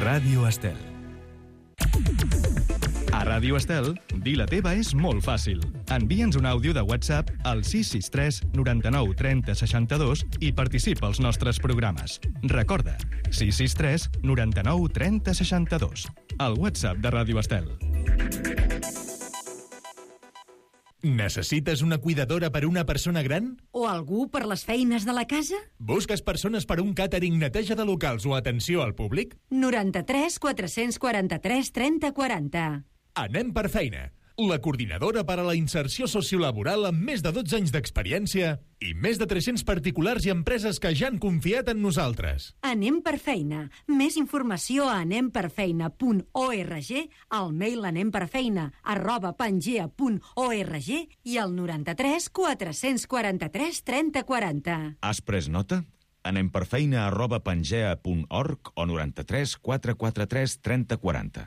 Ràdio Estel. A Ràdio Estel, dir la teva és molt fàcil. Envia'ns un àudio de WhatsApp al 663 99 30 62 i participa als nostres programes. Recorda, 663 99 30 62. El WhatsApp de Ràdio Estel. Necessites una cuidadora per una persona gran? O algú per les feines de la casa? Busques persones per un càtering, neteja de locals o atenció al públic? 93 443 30 40. Anem per feina. La coordinadora per a la inserció sociolaboral amb més de 12 anys d'experiència i més de 300 particulars i empreses que ja han confiat en nosaltres. Anem per feina. Més informació a anemperfeina.org, al mail anemperfeina@pangea.org i al 93 443 30 40. Has pres nota? anemperfeina@pangea.org o 93 443 30 40.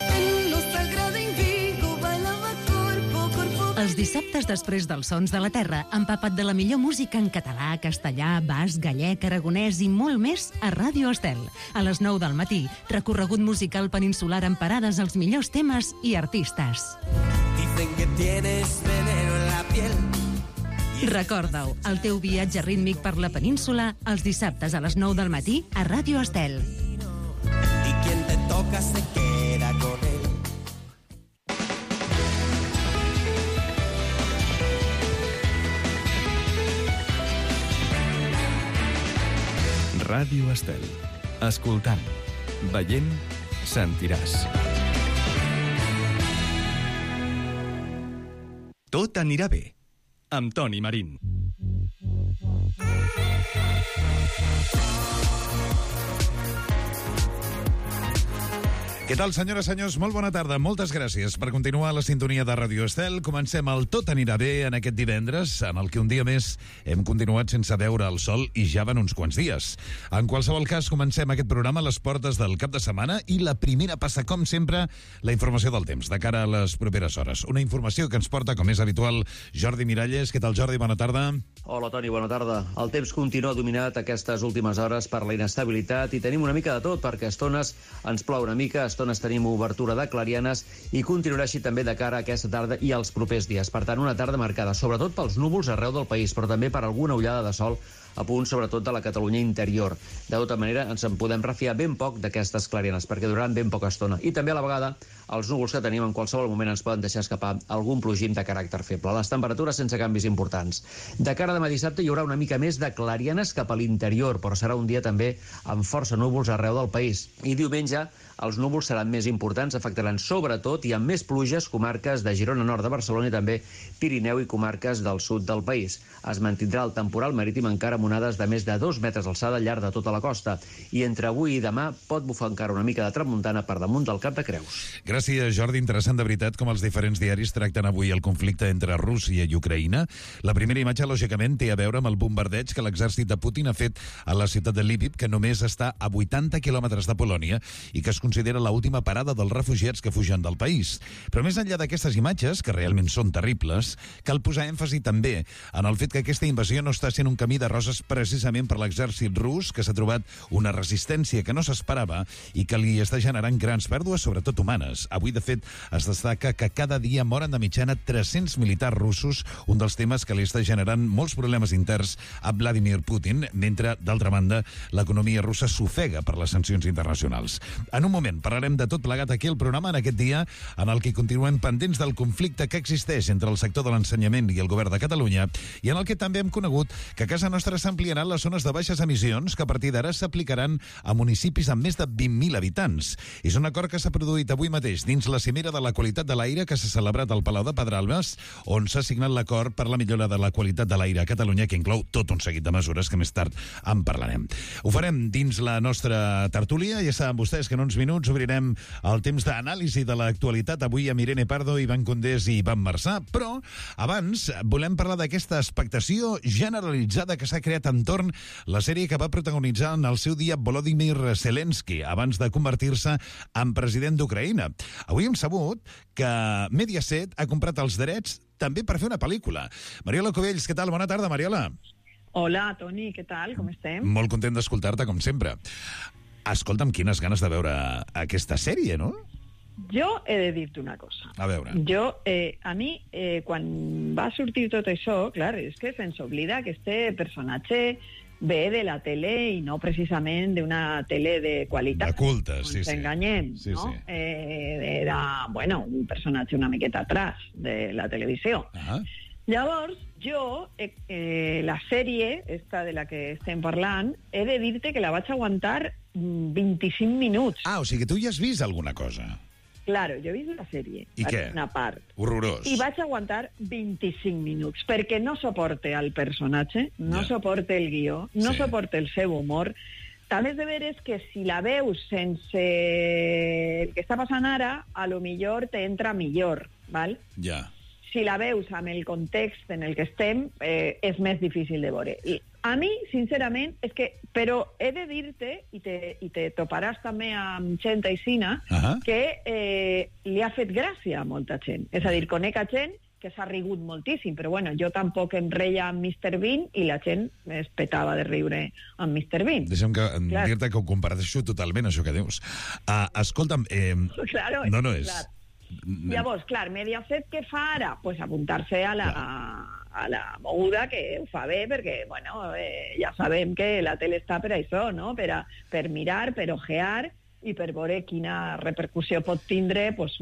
Els dissabtes després dels Sons de la Terra, empapa't de la millor música en català, castellà, basc, gallec, aragonès i molt més a Ràdio Estel. A les 9 del matí, recorregut musical peninsular amb parades als millors temes i artistes. Dicen que tienes veneno en la piel. Recorda-ho, el teu viatge rítmic per la península, els dissabtes a les 9 del matí a Ràdio Estel. Y quien te toca se queda con él. Ràdio Estel. Escoltant, veient, sentiràs. Tot anirà bé. Amb Toni Marín. Què tal, senyores i senyors? Molt bona tarda. Moltes gràcies per continuar a la sintonia de Ràdio Estel. Comencem el Tot anirà bé en aquest divendres, en el que un dia més hem continuat sense veure el sol i ja van uns quants dies. En qualsevol cas, comencem aquest programa a les portes del cap de setmana i la primera passa, com sempre, la informació del temps, de cara a les properes hores. Una informació que ens porta, com és habitual, Jordi Miralles. Què tal, Jordi? Bona tarda. Hola, Toni, bona tarda. El temps continua dominat aquestes últimes hores per la inestabilitat i tenim una mica de tot, perquè a estones ens plou una mica, a estones tenim obertura de clarianes i continuarà així també de cara a aquesta tarda i als propers dies. Per tant, una tarda marcada sobretot pels núvols arreu del país, però també per alguna ullada de sol a punt, sobretot de la Catalunya interior. De tota manera, ens en podem refiar ben poc d'aquestes clarianes, perquè duraran ben poca estona. I també a la vegada, els núvols que tenim en qualsevol moment ens poden deixar escapar algun plogim de caràcter feble. Les temperatures sense canvis importants. De cara a demà dissabte hi haurà una mica més de clarianes cap a l'interior, però serà un dia també amb força núvols arreu del país. I diumenge els núvols seran més importants, afectaran sobretot i amb més pluges comarques de Girona, nord de Barcelona i també Pirineu i comarques del sud del país. Es mantindrà el temporal marítim encara amb onades de més de 2 metres d'alçada al llarg de tota la costa i entre avui i demà pot bufar encara una mica de tramuntana per damunt del Cap de Creus. Gràcies, Jordi. Interessant de veritat com els diferents diaris tracten avui el conflicte entre Rússia i Ucraïna. La primera imatge, lògicament, té a veure amb el bombardeig que l'exèrcit de Putin ha fet a la ciutat de Lviv, que només està a 80 quilòmetres de Polònia i que es considera l'última parada dels refugiats que fugen del país. Però més enllà d'aquestes imatges, que realment són terribles, cal posar èmfasi també en el fet que aquesta invasió no està sent un camí de roses precisament per l'exèrcit rus, que s'ha trobat una resistència que no s'esperava i que li està generant grans pèrdues, sobretot humanes. Avui, de fet, es destaca que cada dia moren de mitjana 300 militars russos, un dels temes que li està generant molts problemes interns a Vladimir Putin, mentre, d'altra banda, l'economia russa s'ofega per les sancions internacionals. En un moment parlarem de tot plegat aquí al programa en aquest dia en el que continuem pendents del conflicte que existeix entre el sector de l'ensenyament i el govern de Catalunya i en el que també hem conegut que a casa nostra s'ampliaran les zones de baixes emissions que a partir d'ara s'aplicaran a municipis amb més de 20.000 habitants. És un acord que s'ha produït avui mateix dins la cimera de la qualitat de l'aire que s'ha celebrat al Palau de Pedralbes, on s'ha signat l'acord per la millora de la qualitat de l'aire a Catalunya, que inclou tot un seguit de mesures que més tard en parlarem. Ho farem dins la nostra tertúlia. Ja saben vostès que en uns minuts obrirem el temps d'anàlisi de l'actualitat avui amb Irene Pardo, Ivan Condés i Ivan Marçà, però abans volem parlar d'aquesta expectació generalitzada que s'ha creat entorn la sèrie que va protagonitzar en el seu dia Volodymyr Zelensky abans de convertir-se en president d'Ucraïna. Avui hem sabut que Mediaset ha comprat els drets també per fer una pel·lícula. Mariola Cubells, què tal? Bona tarda, Mariola. Hola, Toni, què tal? Com estem? Molt content d'escoltar-te, com sempre. Escolta'm, quines ganes de veure aquesta sèrie, no? Jo he de dir-te una cosa. A veure. A mi, quan va sortir tot això, clar, és que se'ns oblida que este personatge ve de la tele i no precisament d'una tele de qualitat. De culte, sí. Ens enganyem, sí, no? Sí. Era, un personatge una miqueta atrás de la televisió. Llavors, jo, la sèrie, esta de la que estem parlant, he de dir-te que la vaig aguantar 25 minuts. O sigui que tu ja has vist alguna cosa. Claro, jo he vist la sèrie. I què? Una part. Horrorós. I vaig aguantar 25 minuts, perquè no suporte el personatge, no suporte el guió, no suporte el seu humor. També és de veres que si la veus sense el que està passant ara, a lo millor te entra millor, val? Ja. Si la veus amb el context en el que estem, és més difícil de veure. I a mi, sincerament, és que... Però he de dir-te, i te toparàs també amb gent aixina, que li ha fet gràcia a molta gent. És a dir, conec a gent que s'ha rigut moltíssim, però bueno, jo tampoc em reia amb Mr. Bean i la gent es petava de riure amb Mr. Bean. Deixa'm dir-te que ho comparteixo totalment, això que dius. Escolta'm... Claro, no és... Clar. Llavors, clar, Mediaset què fa ara? Pues apuntar-se a la moguda, que ho fa bé, perquè, ja sabem que la tele està per això, no? Per mirar, per ojear i per veure quina repercussió pot tindre, pues,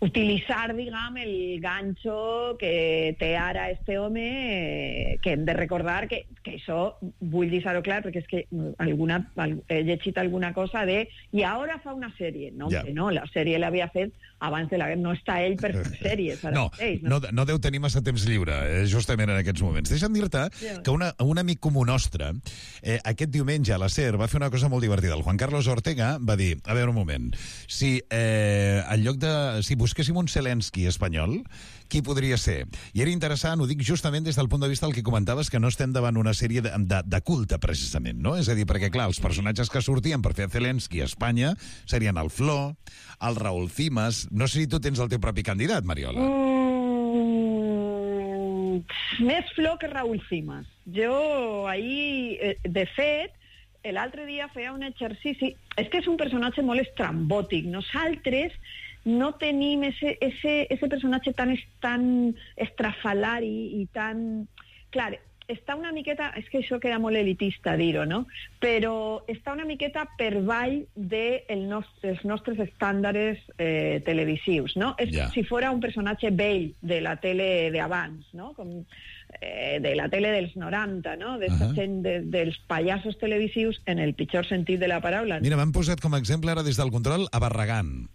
utilitzar, diguem, el ganxo que té ara este home, que hem de recordar que això, vull deixar-ho clar, perquè és que he llegit alguna cosa de... I ara fa una sèrie. No, no, la sèrie l'havia fet abans de la guerra. No està ell per fer sèries. No deu tenir massa temps lliure, justament en aquests moments. Deixa'm dir-te que un amic comú nostre, aquest diumenge a la SER, va fer una cosa molt divertida. El Juan Carlos Ortega va dir, a veure un moment, si en lloc de... Si busquéssim un Zelensky espanyol, qui podria ser? I era interessant, ho dic justament des del punt de vista del que comentaves, que no estem davant una sèrie de culte, precisament, no? És a dir, perquè, clar, els personatges que sortien per fer Zelensky a Espanya serien el Flo, el Raúl Cimas... No sé si tu tens el teu propi candidat, Mariola. Més Flo que Raúl Cimas. Jo, ahir, de fet, l'altre dia feia un exercici... És que és un personatge molt estrambòtic. Nosaltres no tenim ese personatge tan estrafalari i tan... Clar, està una miqueta... És que això queda molt elitista dir-ho, no? Però està una miqueta per ball dels nostres estàndards televisius, no? És si fora un personatge vell de la tele d'abans, no? Com de la tele dels 90, no? D'esta gent dels pallassos televisius en el pitjor sentit de la paraula. Mira, m'han posat com a exemple ara des del control a Barragán.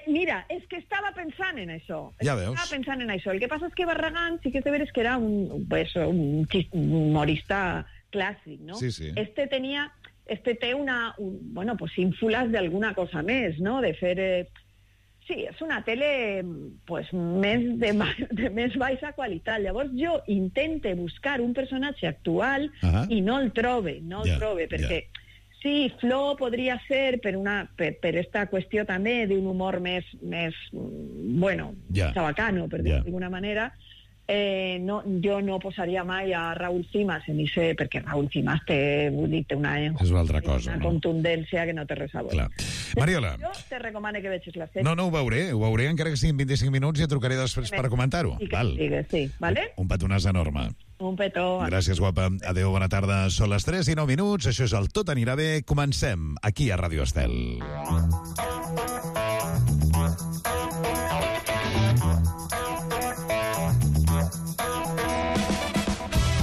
Mira, és que estava pensant en això. Ja veus. Estava pensant en això. El que passa és que Barragán sí que és de veres que era un humorista clàssic, no? Sí, sí. Este té pues ínfulas d'alguna cosa més, no? De fer... Sí, és una tele pues, de més baixa qualitat. Llavors jo intente buscar un personatge actual i no el trobe, perquè... Sí, Flo podria ser per esta qüestió també d'un humor més xabacano, per dir-ho d'alguna manera. Jo no posaria mai a Raúl Cimas perquè Raúl Cimas té una contundència que no té res a veure. Mariola. Jo te recomano que vegis la sèrie. No, ho veuré, encara que siguin 25 minuts i et trucaré després per comentar-ho. Sí, vale? Un petonàs enorme. Un petó. Gràcies, guapa. Adéu, bona tarda. Són les 3:09. Això és el Tot anirà bé. Comencem aquí a Ràdio Estel.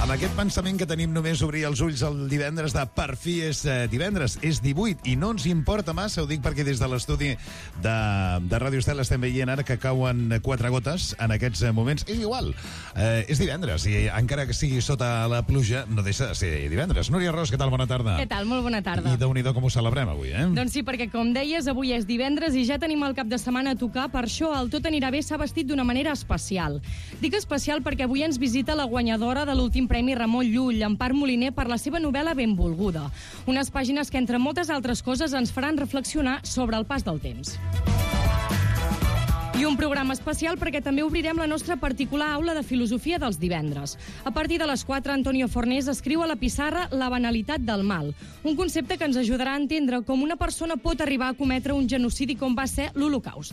Amb aquest pensament que tenim només obrir els ulls el divendres de per fi és divendres, és 18 i no ens importa massa, ho dic perquè des de l'estudi de Ràdio Estel estem veient ara que cauen 4 gotes en aquests moments. És igual, és divendres i encara que sigui sota la pluja no deixa de ser divendres. Núria Ros, què tal? Bona tarda. Què tal? Molt bona tarda. I Déu-n'hi-do com ho celebrem avui, Doncs sí, perquè com deies, avui és divendres i ja tenim el cap de setmana a tocar, per això el Tot anirà bé s'ha vestit d'una manera especial. Dic especial perquè avui ens visita la guanyadora de l'últim Premi Ramon Llull, Empar Moliner, per la seva novel·la Benvolguda. Unes pàgines que, entre moltes altres coses, ens faran reflexionar sobre el pas del temps. I un programa especial perquè també obrirem la nostra particular aula de filosofia dels divendres. A partir de les 4, Antonio Fornés escriu a la pissarra La banalitat del mal, un concepte que ens ajudarà a entendre com una persona pot arribar a cometre un genocidi com va ser l'Holocaust.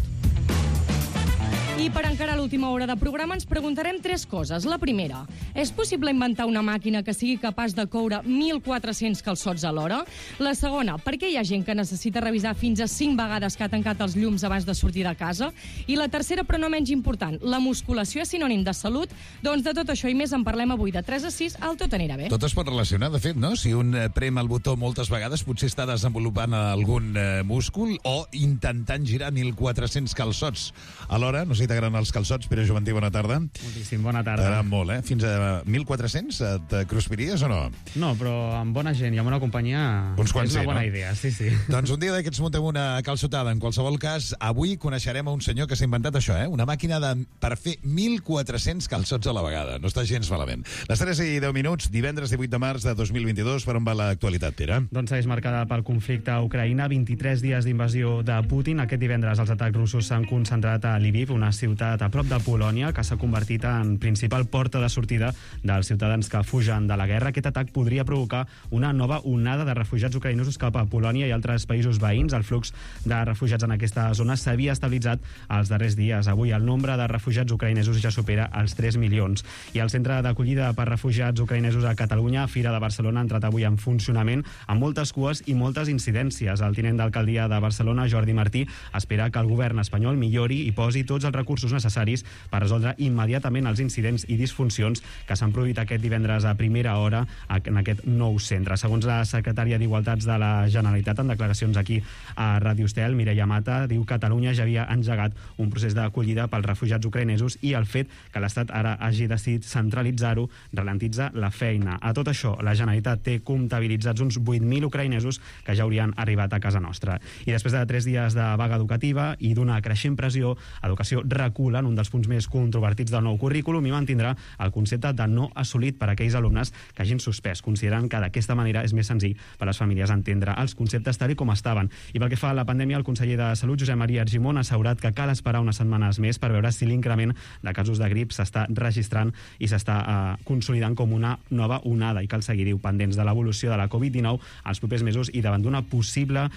I per encarar l'última hora de programa ens preguntarem 3 coses. La primera, és possible inventar una màquina que sigui capaç de coure 1.400 calçots a l'hora? La segona, per què hi ha gent que necessita revisar fins a 5 vegades que ha tancat els llums abans de sortir de casa? I la tercera, però no menys important, la musculació és sinònim de salut? Doncs de tot això i més en parlem avui de 3 a 6 al Tot anirà bé. Tot es pot relacionar, de fet, no? Si un prem el botó moltes vegades, potser està desenvolupant algun múscul o intentant girar 1.400 calçots alhora. No sé si t'agraden els calçots, Pere Juventí, bona tarda. Moltíssim, bona tarda. T'agraden molt, eh? Fins a 1.400 et cruspiries o no? No, però amb bona gent i amb una companyia uns quants és una bona no? idea, sí. Doncs un dia d'aquests muntem una calçotada. En qualsevol cas, avui coneixerem a un senyor que s'ha inventat això, una màquina per fer 1.400 calçots a la vegada. No està gens malament. Les 3 i 10 minuts, divendres 18 de març de 2022, per on va l'actualitat, Pere? Doncs segueix marcada pel conflicte a Ucraïna, 23 dies d'invasió de Putin. Aquest divendres els atacs russos s'han concentrat a Lviv, una ciutat a prop de Polònia, que s'ha convertit en principal porta de sortida dels ciutadans que fugen de la guerra. Aquest atac podria provocar una nova onada de refugiats ucraïnesos cap a Polònia i altres països veïns. El flux de refugiats en aquesta zona s'havia estabilitzat els darrers dies. Avui el nombre de refugiats ucraïnesos ja supera els 3 milions. I el centre d'acollida per refugiats ucraïnesos a Catalunya, Fira de Barcelona, ha entrat avui en funcionament amb moltes cues i moltes incidències. El tinent d'alcaldia de Barcelona, Jordi Martí, espera que el govern espanyol millori i posi tots els recursos necessaris per resoldre immediatament els incidents i disfuncions que s'han produït aquest divendres a primera hora en aquest nou centre. Segons la secretària d'Igualtats de la Generalitat, en declaracions aquí a Ràdio Estel, Mireia Mata, diu que Catalunya ja havia engegat un procés d'acollida pels refugiats ucraïnesos i el fet que l'Estat ara hagi decidit centralitzar-ho ralentitza la feina. A tot això, la Generalitat té comptabilitzats uns 8.000 ucraïnesos que ja haurien arribat a casa nostra. I després de 3 dies de vaga educativa i d'una creixent pressió, Educació recula en un dels punts més controvertits del nou currículum i mantindrà el concepte de no assolit per a aquells alumnes que hagin suspès, considerant que d'aquesta manera és més senzill per a les famílies entendre els conceptes tal com estaven. I pel que fa a la pandèmia, el conseller de Salut, Josep Maria Argimon, ha assegurat que cal esperar unes setmanes més per veure si l'increment de casos de grip s'està registrant i s'està consolidant com una nova onada i cal seguir pendents de l'evolució de la Covid-19 als propers mesos i davant d'una possible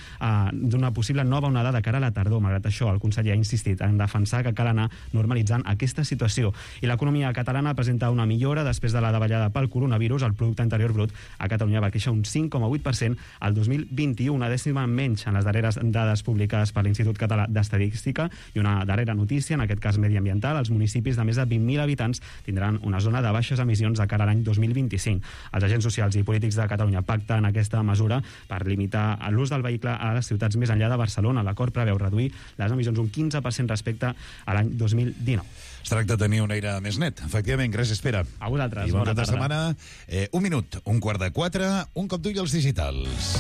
nova onada de cara a la tardor. Malgrat això, el conseller ha insistit en defensar que cal anar normalitzant aquesta situació. I l'economia catalana presenta una millora després de la davallada pel coronavirus. El producte interior brut a Catalunya va créixer un 5,8% al 2021, una dècima menys en les darreres dades publicades per l'Institut Català d'Estadística. I una darrera notícia, en aquest cas mediambiental, els municipis de més de 20.000 habitants tindran una zona de baixes emissions de cara a l'any 2025. Els agents socials i polítics de Catalunya pacten aquesta mesura per limitar l'ús del vehicle a les ciutats més enllà de Barcelona. L'acord preveu reduir les emissions un 15% respecte a l'any 2019. Es tracta de tenir un aire més net. Efectivament, gràcies, Pere. A vosaltres. I bon cap de tarda. setmana. Un minut, 3:15, un cop d'ull als digitals.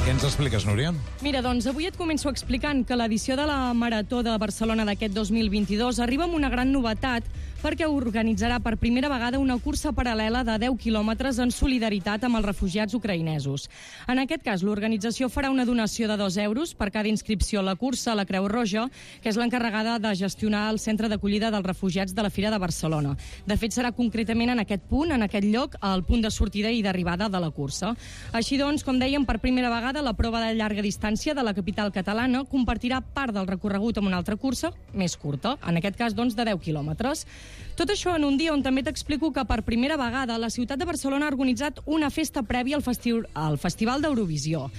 Què ens expliques, Núria? Mira, doncs avui et començo explicant que l'edició de la Marató de Barcelona d'aquest 2022 arriba amb una gran novetat perquè organitzarà per primera vegada una cursa paral·lela de 10 quilòmetres en solidaritat amb els refugiats ucraïnesos. En aquest cas, l'organització farà una donació de 2 euros per cada inscripció a la cursa. La Creu Roja, que és l'encarregada de gestionar el centre d'acollida dels refugiats de la Fira de Barcelona. De fet, serà concretament en aquest punt, en aquest lloc, el punt de sortida i d'arribada de la cursa. Així doncs, com dèiem, per primera vegada, la prova de llarga distància de la capital catalana compartirà part del recorregut amb una altra cursa més curta, en aquest cas, doncs, de 10 quilòmetres. Tot això en un dia on també t'explico que per primera vegada la ciutat de Barcelona ha organitzat una festa prèvia al Festival d'Eurovisió.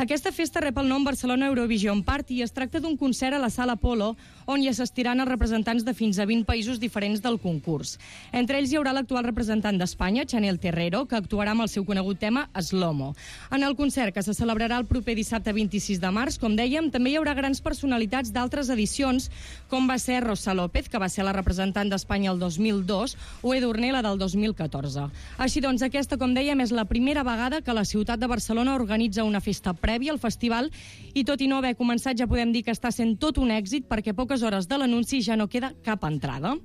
Aquesta festa rep el nom Barcelona Eurovision Party i es tracta d'un concert a la Sala Apolo on hi assistiran els representants de fins a 20 països diferents del concurs. Entre ells hi haurà l'actual representant d'Espanya, Chanel Terrero, que actuarà amb el seu conegut tema Slomo. En el concert, que se celebrarà el proper dissabte 26 de març, com dèiem, també hi haurà grans personalitats d'altres edicions, com va ser Rosa López, que va ser la representant d'Espanya l'any el 2002, o Edurne la del 2014. Així doncs, aquesta, com dèiem, és la primera vegada que la ciutat de Barcelona organitza una festa prèvia al festival i tot i no haver començat ja podem dir que està sent tot un èxit perquè a poques hores de l'anunci ja no queda cap entrada.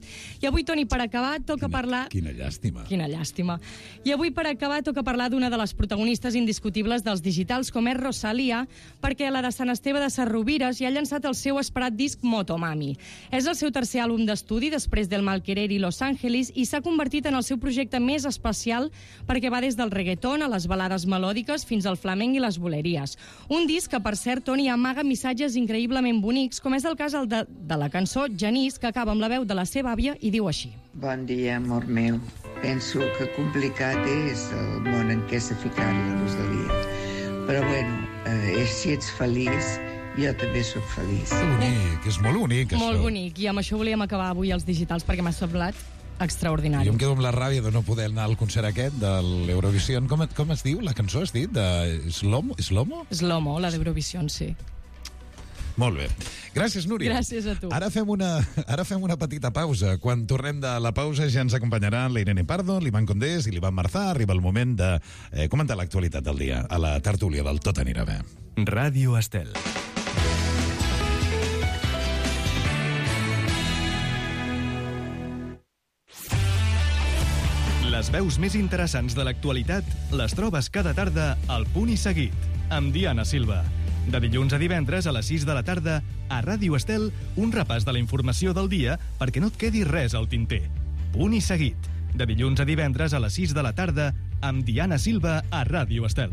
I avui, Toni, per acabar, toca parlar... Quina llàstima. Quina llàstima. I avui, per acabar, toca parlar d'una de les protagonistes indiscutibles dels digitals, com és Rosalía, perquè la de Sant Esteve de Sarrovires ja ha llançat el seu esperat disc Motomami. És el seu tercer àlbum d'estudi després del Malquerer i Los Angeles i s'ha convertit en el seu projecte més especial perquè va des del reggaeton a les balades melòdiques fins al flamenc i les boleries. Un disc que, per cert, Toni, amaga missatges increïblement bonics, com és el cas de la cançó Genís, que acaba amb la veu de la seva àvia i diu així. Bon dia, amor meu. Penso que complicat és el món en què s'ha ficat la Rosalia. Però bueno, si ets feliç, jo també sóc feliç. Bonic, és molt bonic, això. Molt bonic, i amb això volíem acabar avui els digitals, perquè m'ha semblat extraordinari. Jo em quedo amb la ràbia de no poder anar al concert aquest de l'Eurovision. Com es diu? La cançó has dit? De Slomo? Slomo, la d'Eurovision, sí. Molt bé. Gràcies, Núria. Gràcies a tu. Ara fem una petita pausa. Quan tornem de la pausa ja ens acompanyaran la Irene Pardo, l'Ivan Condés i l'Ivan Marzà. Arriba el moment de comentar l'actualitat del dia a la tertúlia del Tot anirà bé. Ràdio Estel. Les veus més interessants de l'actualitat les trobes cada tarda al Punt i Seguit, amb Diana Silva. De dilluns a divendres a les 6 de la tarda, a Ràdio Estel, un repàs de la informació del dia perquè no et quedi res al tinter. Punt i Seguit. De dilluns a divendres a les 6 de la tarda, amb Diana Silva a Ràdio Estel.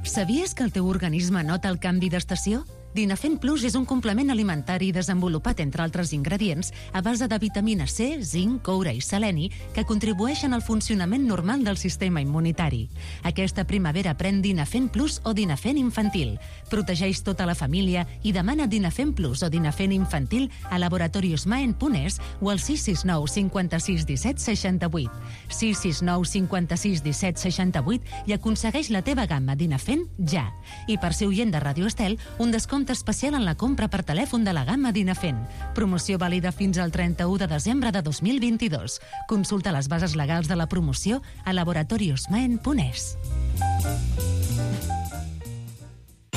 Sabies que el teu organisme nota el canvi d'estació? Dinafen Plus és un complement alimentari desenvolupat, entre altres ingredients, a base de vitamina C, zinc, coure i seleni, que contribueixen al funcionament normal del sistema immunitari. Aquesta primavera pren Dinafen Plus o Dinafen Infantil. Protegeix tota la família i demana Dinafen Plus o Dinafen Infantil a Laboratorios Maen.es o al 669 56 17 68. 669 56 17 68 i aconsegueix la teva gamma Dinafen ja. I per ser oient de Ràdio Estel, un descompte especial en la compra per telèfon de la gamma Dinafen. Promoció vàlida fins al 31 de desembre de 2022. Consulta les bases legals de la promoció a laboratoriosmaen.es.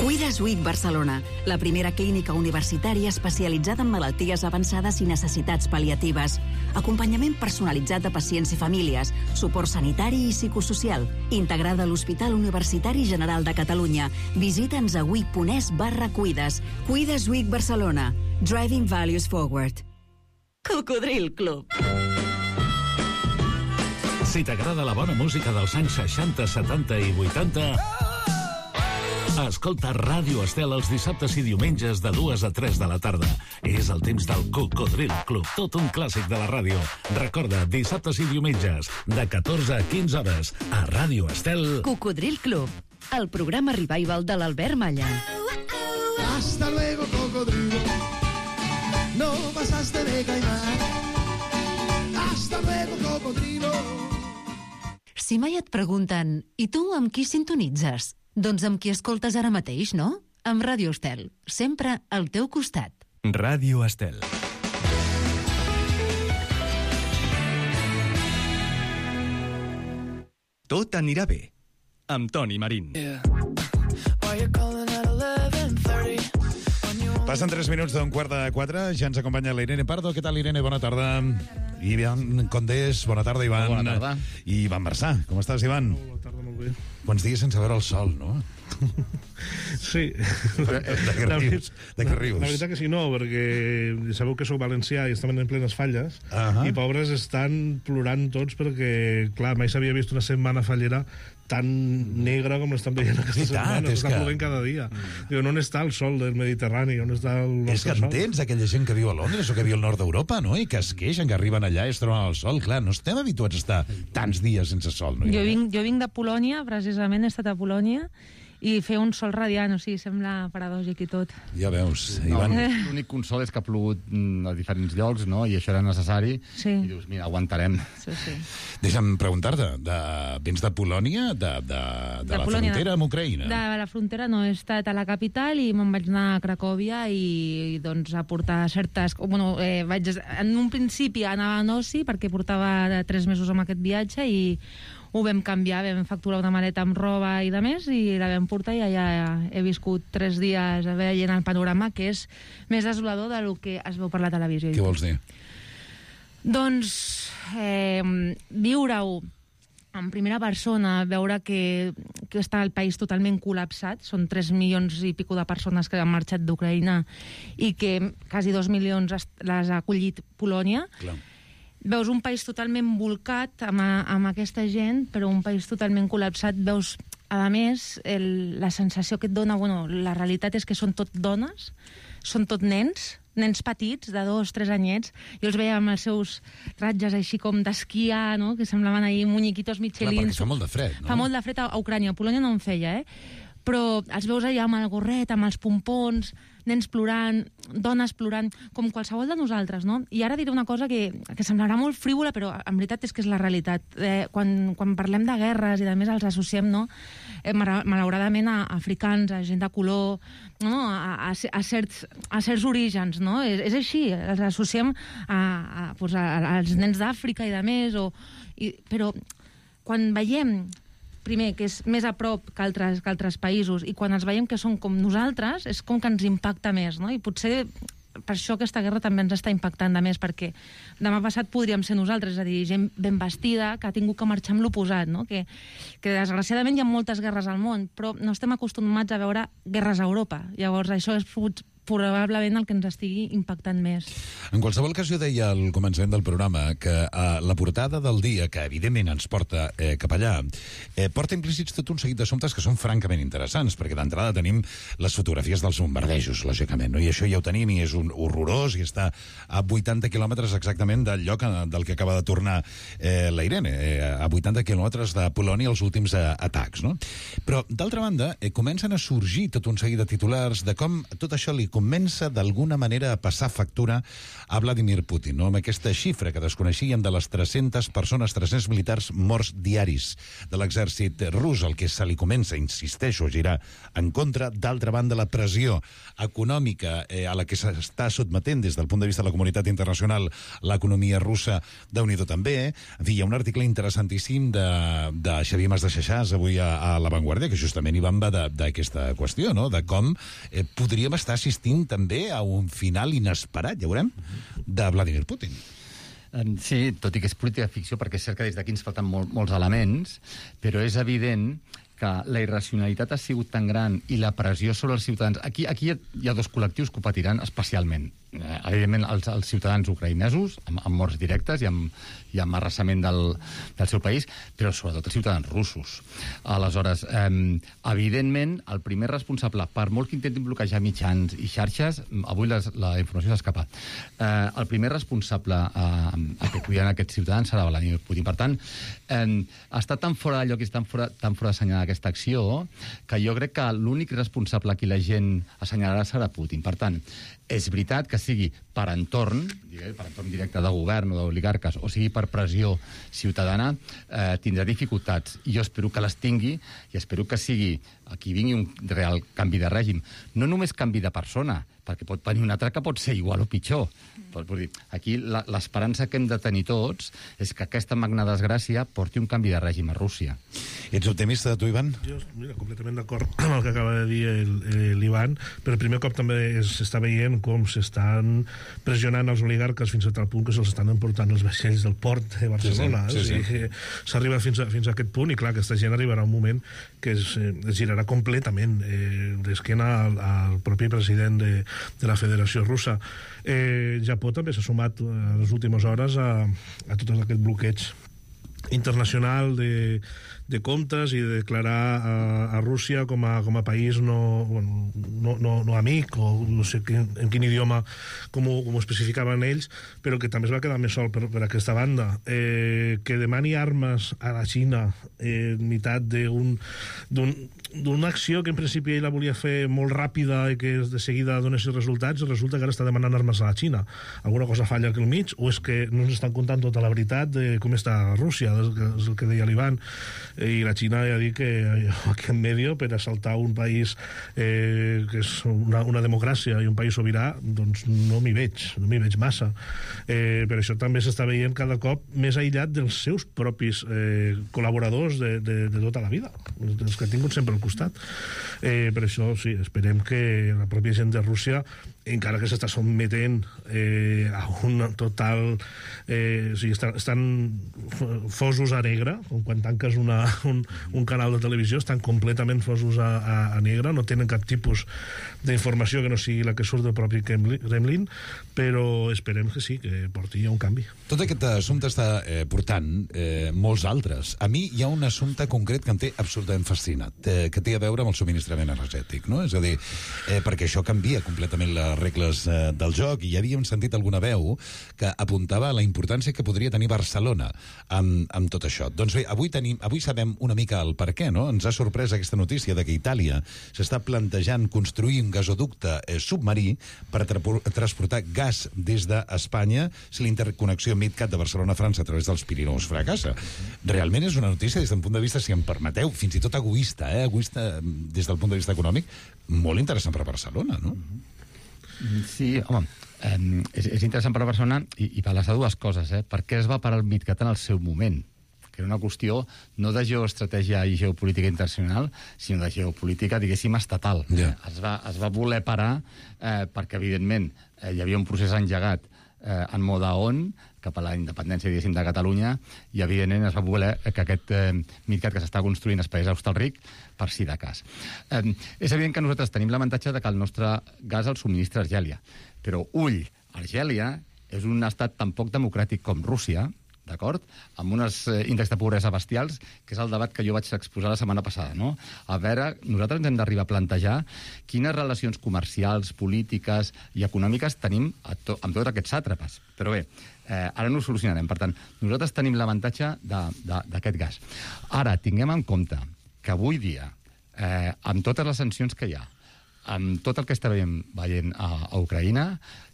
Cuidas WIC Barcelona, la primera clínica universitària especialitzada en malalties avançades i necessitats pal·liatives. Acompanyament personalitzat de pacients i famílies, suport sanitari i psicosocial, integrada a l'Hospital Universitari General de Catalunya. Visita'ns a wic.es/cuides. Cuidas WIC Barcelona. Driving Values Forward. Cocodril Club. Si t'agrada la bona música dels anys 60, 70 i 80... Escolta Ràdio Estel els dissabtes i diumenges de 2 a 3 de la tarda. És el temps del Cocodril Club, tot un clàssic de la ràdio. Recorda, dissabtes i diumenges, de 14 a 15 hores, a Ràdio Estel. Cocodril Club, el programa revival de l'Albert Malla. Hasta luego, cocodrilo. No pasaste de caimán. Hasta luego, cocodrilo. Si mai et pregunten, i tu amb qui sintonitzes? Doncs amb qui escoltes ara mateix, no? Amb Ràdio Estel, sempre al teu costat. Ràdio Estel. Tot anirà bé, amb Toni Marín. Passen 3 minuts d'un 3:45, ja ens acompanya la Irene Pardo. Què tal, Irene? Bona tarda. Ivan Condés, bona tarda, Ivan. Bona tarda. I Ivan Marzà, com estàs, Ivan? Bona tarda, molt bé. Quants dies sense veure el sol, no? Sí. De què rius? La veritat que sí, no, perquè sabeu que sóc valencià i estem en plenes falles, i pobres estan plorant tots perquè, clar, mai s'havia vist una setmana fallera tan negra com l'estan veient aquesta setmana. S'està plovent cada dia. Diu, on està el sol del Mediterrani? On està el nostre sol? És que entens aquella gent que viu a Londres o que viu al nord d'Europa, no? I que es queixen, que arriben allà i es troben al sol. Clar, no estem habituats a estar tants dies sense sol, no? Jo vinc de Polònia, precisament he estat a Polònia, i fer un sol radiant, o sigui, sembla paradògic i tot. Ja veus, Ivan. L'únic consol és que ha plogut a diferents llocs, no?, i això era necessari, i dius, mira, aguantarem. Deixa'm preguntar-te, vens de Polònia, de la frontera amb Ucraïna? De la frontera no, he estat a la capital i me'n vaig anar a Cracòvia i doncs a portar certes... Bueno, en un principi anava a Nossi perquè portava 3 mesos amb aquest viatge i ho vam canviar, vam facturar una maleta amb roba i de més i la vam portar i allà he viscut 3 dies veient el panorama, que és més desolador del que es veu per la televisió. Què vols dir? Doncs viure-ho en primera persona, veure que està el país totalment col·lapsat, són 3 milions i pico de persones que han marxat d'Ucraïna i que quasi 2 milions les ha acollit Polònia. Clar. Veus un país totalment volcat amb aquesta gent, però un país totalment col·lapsat. Veus, a més, la sensació que et dona... Bueno, la realitat és que són tot dones, són tot nens petits, de 2-3 anyets. Jo els veia amb els seus ratges així com d'esquiar, no?, que semblaven ahir muñequitos michelins. Clar, perquè fa molt de fred, no? Fa molt de fred a Ucrània. A Polònia no en feia, però els veus allà amb el gorret, amb els pompons, nens plorant, dones plorant, com qualsevol de nosaltres, no? I ara diré una cosa que semblarà molt frívola, però en veritat és que és la realitat. Quan parlem de guerres i de més els associem, no?, malauradament a africans, a gent de color, no?, a certs orígens, no? És així, els associem als nens d'Àfrica i de més, però quan veiem primer, que és més a prop que altres països, i quan els veiem que són com nosaltres, és com que ens impacta més, no? I potser per això aquesta guerra també ens està impactant de més, perquè demà passat podríem ser nosaltres, és a dir, gent ben vestida que ha tingut que marxar amb l'oposat, no? Que desgraciadament hi ha moltes guerres al món, però no estem acostumats a veure guerres a Europa. Llavors això és probablement el que ens estigui impactant més. En qualsevol cas, jo deia al començament del programa que la portada del dia, que evidentment ens porta cap allà, porta implícits tot un seguit d'assumptes que són francament interessants, perquè d'entrada tenim les fotografies dels bombardejos, lògicament, no? I això ja ho tenim i és un horrorós i està a 80 quilòmetres exactament del lloc del que acaba de tornar la Irene, a 80 quilòmetres de Polònia els últims atacs, no? Però, d'altra banda, comencen a sorgir tot un seguit de titulars de com tot això li comença d'alguna manera a passar factura a Vladimir Putin, no? Amb aquesta xifra que desconeixíem de les 300 persones, 300 militars morts diaris de l'exèrcit rus, el que se li comença, insisteixo, a girar en contra. D'altra banda, la pressió econòmica a la que s'està sotmetent des del punt de vista de la comunitat internacional l'economia russa, déu-n'hi-do també. En fi, hi ha un article interessantíssim de Xavier Mas de Xaixàs avui a La Vanguardia, que justament hi van d'aquesta qüestió, no?, de com podríem estar assistint també a un final inesperat, ja veurem, de Vladimir Putin. Sí, tot i que és política ficció, perquè és cert que des d'aquí ens falten molts elements, però és evident que la irracionalitat ha sigut tan gran i la pressió sobre els ciutadans... Aquí hi ha 2 col·lectius que ho patiran especialment. Evidentment, els ciutadans ucraïnesos, amb morts directes i amb arrasament del seu país, però sobretot els ciutadans russos. Aleshores, evidentment, el primer responsable, per molt que intentin bloquejar mitjans i xarxes, avui la informació s'ha escapat, el primer responsable a que cuiden aquests ciutadans serà Vladimir Putin. Per tant, està tan fora de lloc i tan fora d'assenyalar aquesta acció que jo crec que l'únic responsable a qui la gent assenyalarà serà Putin. Per tant, és veritat que sigui per entorn directe de govern o d'oligarques, o sigui per pressió ciutadana, tindrà dificultats. I jo espero que les tingui i espero que sigui aquí vingui un real canvi de règim. No només canvi de persona, perquè pot venir un altre que pot ser igual o pitjor. Aquí l'esperança que hem de tenir tots és que aquesta magna desgràcia porti un canvi de règim a Rússia. Ets optimista, tu, Ivan? Jo, mira, completament d'acord amb el que acaba de dir l'Ivan. Per primer cop també s'està veient com s'estan pressionant els oligarques fins a tal punt que se'ls estan emportant els vaixells del port de Barcelona. Sí. S'arriba fins a aquest punt i, clar, aquesta gent arribarà un moment que es girarà completament d'esquena al propi president de la Federació Russa. Japó també s'ha sumat en les últimes hores a tot aquest bloqueig internacional de comptes i de declarar a Rússia com a país no amic, o no sé en quin idioma com ho especificaven ells, però que també es va quedar més sol per aquesta banda. Que demani armes a la Xina en meitat d'una acció que en principi ell la volia fer molt ràpida i que de seguida donés resultats, resulta que ara està demanant armes a la Xina. Alguna cosa falla aquí al mig, o és que no ens estan contant tota la veritat de com està Rússia, és el que deia l'Ivan, i la Xina ja dic que aquí en medio per assaltar un país que és una democràcia i un país sobirà, doncs no m'hi veig massa. Per això també s'està veient cada cop més aïllat dels seus propis col·laboradors de tota la vida, els que ha tingut sempre al costat. Per això sí, esperem que la pròpia gent de Rússia, encara que s'està sotmetent a un total... o sigui, estan fosos a negre, quan tanques un canal de televisió, estan completament fosos a negre, no tenen cap tipus d'informació que no sigui la que surt del propi Kremlin, però esperem que sí, que porti un canvi. Tot aquest assumpte està portant molts altres. A mi hi ha un assumpte concret que em té absolutament fascinat, que té a veure amb el subministrament energètic, no? És a dir, perquè això canvia completament les regles del joc, i ja havíem sentit alguna veu que apuntava a la importància que podria tenir Barcelona amb tot això. Doncs bé, avui sabem una mica el per què, no? Ens ha sorprès aquesta notícia de que Itàlia s'està plantejant construir un gasoducte submarí per transportar gas des d'Espanya si la interconnexió MidCat de Barcelona-França a través dels Pirineus fracassa. Realment és una notícia des del punt de vista, si em permeteu, fins i tot egoista, egoista des del punt de vista econòmic, molt interessant per a Barcelona, no? Sí, home, és interessant per a Barcelona i per les dues coses. Per què es va parar el MidCat en el seu moment? Que era una qüestió no de geoestratègia i geopolítica internacional, sinó de geopolítica, diguéssim, estatal. Yeah. Es va voler parar perquè, evidentment, hi havia un procés engegat en mode on, cap a la independència, diguéssim, de Catalunya, i, evidentment, es va voler que aquest MidCat que s'està construint es pagués a Hostalric per si de cas. És evident que nosaltres tenim l'avantatge de que el nostre gas el subministra Argèlia. Però, ull, Argèlia és un estat tan poc democràtic com Rússia, d'acord? Amb uns índexs de pobresa bestials, que és el debat que jo vaig exposar la setmana passada, no? A veure, nosaltres ens hem d'arribar a plantejar quines relacions comercials, polítiques i econòmiques tenim amb tots aquests sàtrapes. Però bé, ara no ho solucionarem. Per tant, nosaltres tenim l'avantatge d'aquest gas. Ara, tinguem en compte que avui dia, amb totes les sancions que hi ha, amb tot el que està veient a Ucraïna,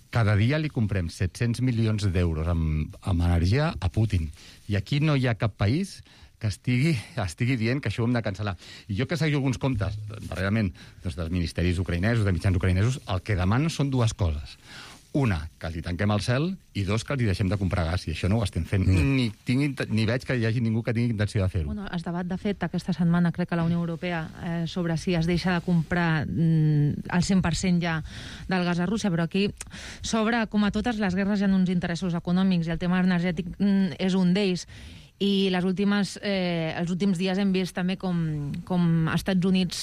cada dia li comprem 700 milions d'euros amb energia a Putin. I aquí no hi ha cap país que estigui dient que això ho hem de cancel·lar. I jo que segueixo alguns comptes, darrerament, dels ministeris ucraïnesos, de mitjans ucraïnesos, el que demanen són dues coses. Una, que els hi tanquem el cel, i dos, que els hi deixem de comprar gas, i això no ho estem fent. Ni veig que hi hagi ningú que tingui intenció de fer-ho. Bueno, es debat, de fet, aquesta setmana, crec que la Unió Europea, sobre si es deixa de comprar el 100% ja del gas a Rússia, però aquí, sobre, com a totes les guerres, hi ha uns interessos econòmics, i el tema energètic és un d'ells. I els últims dies hem vist també com als Estats Units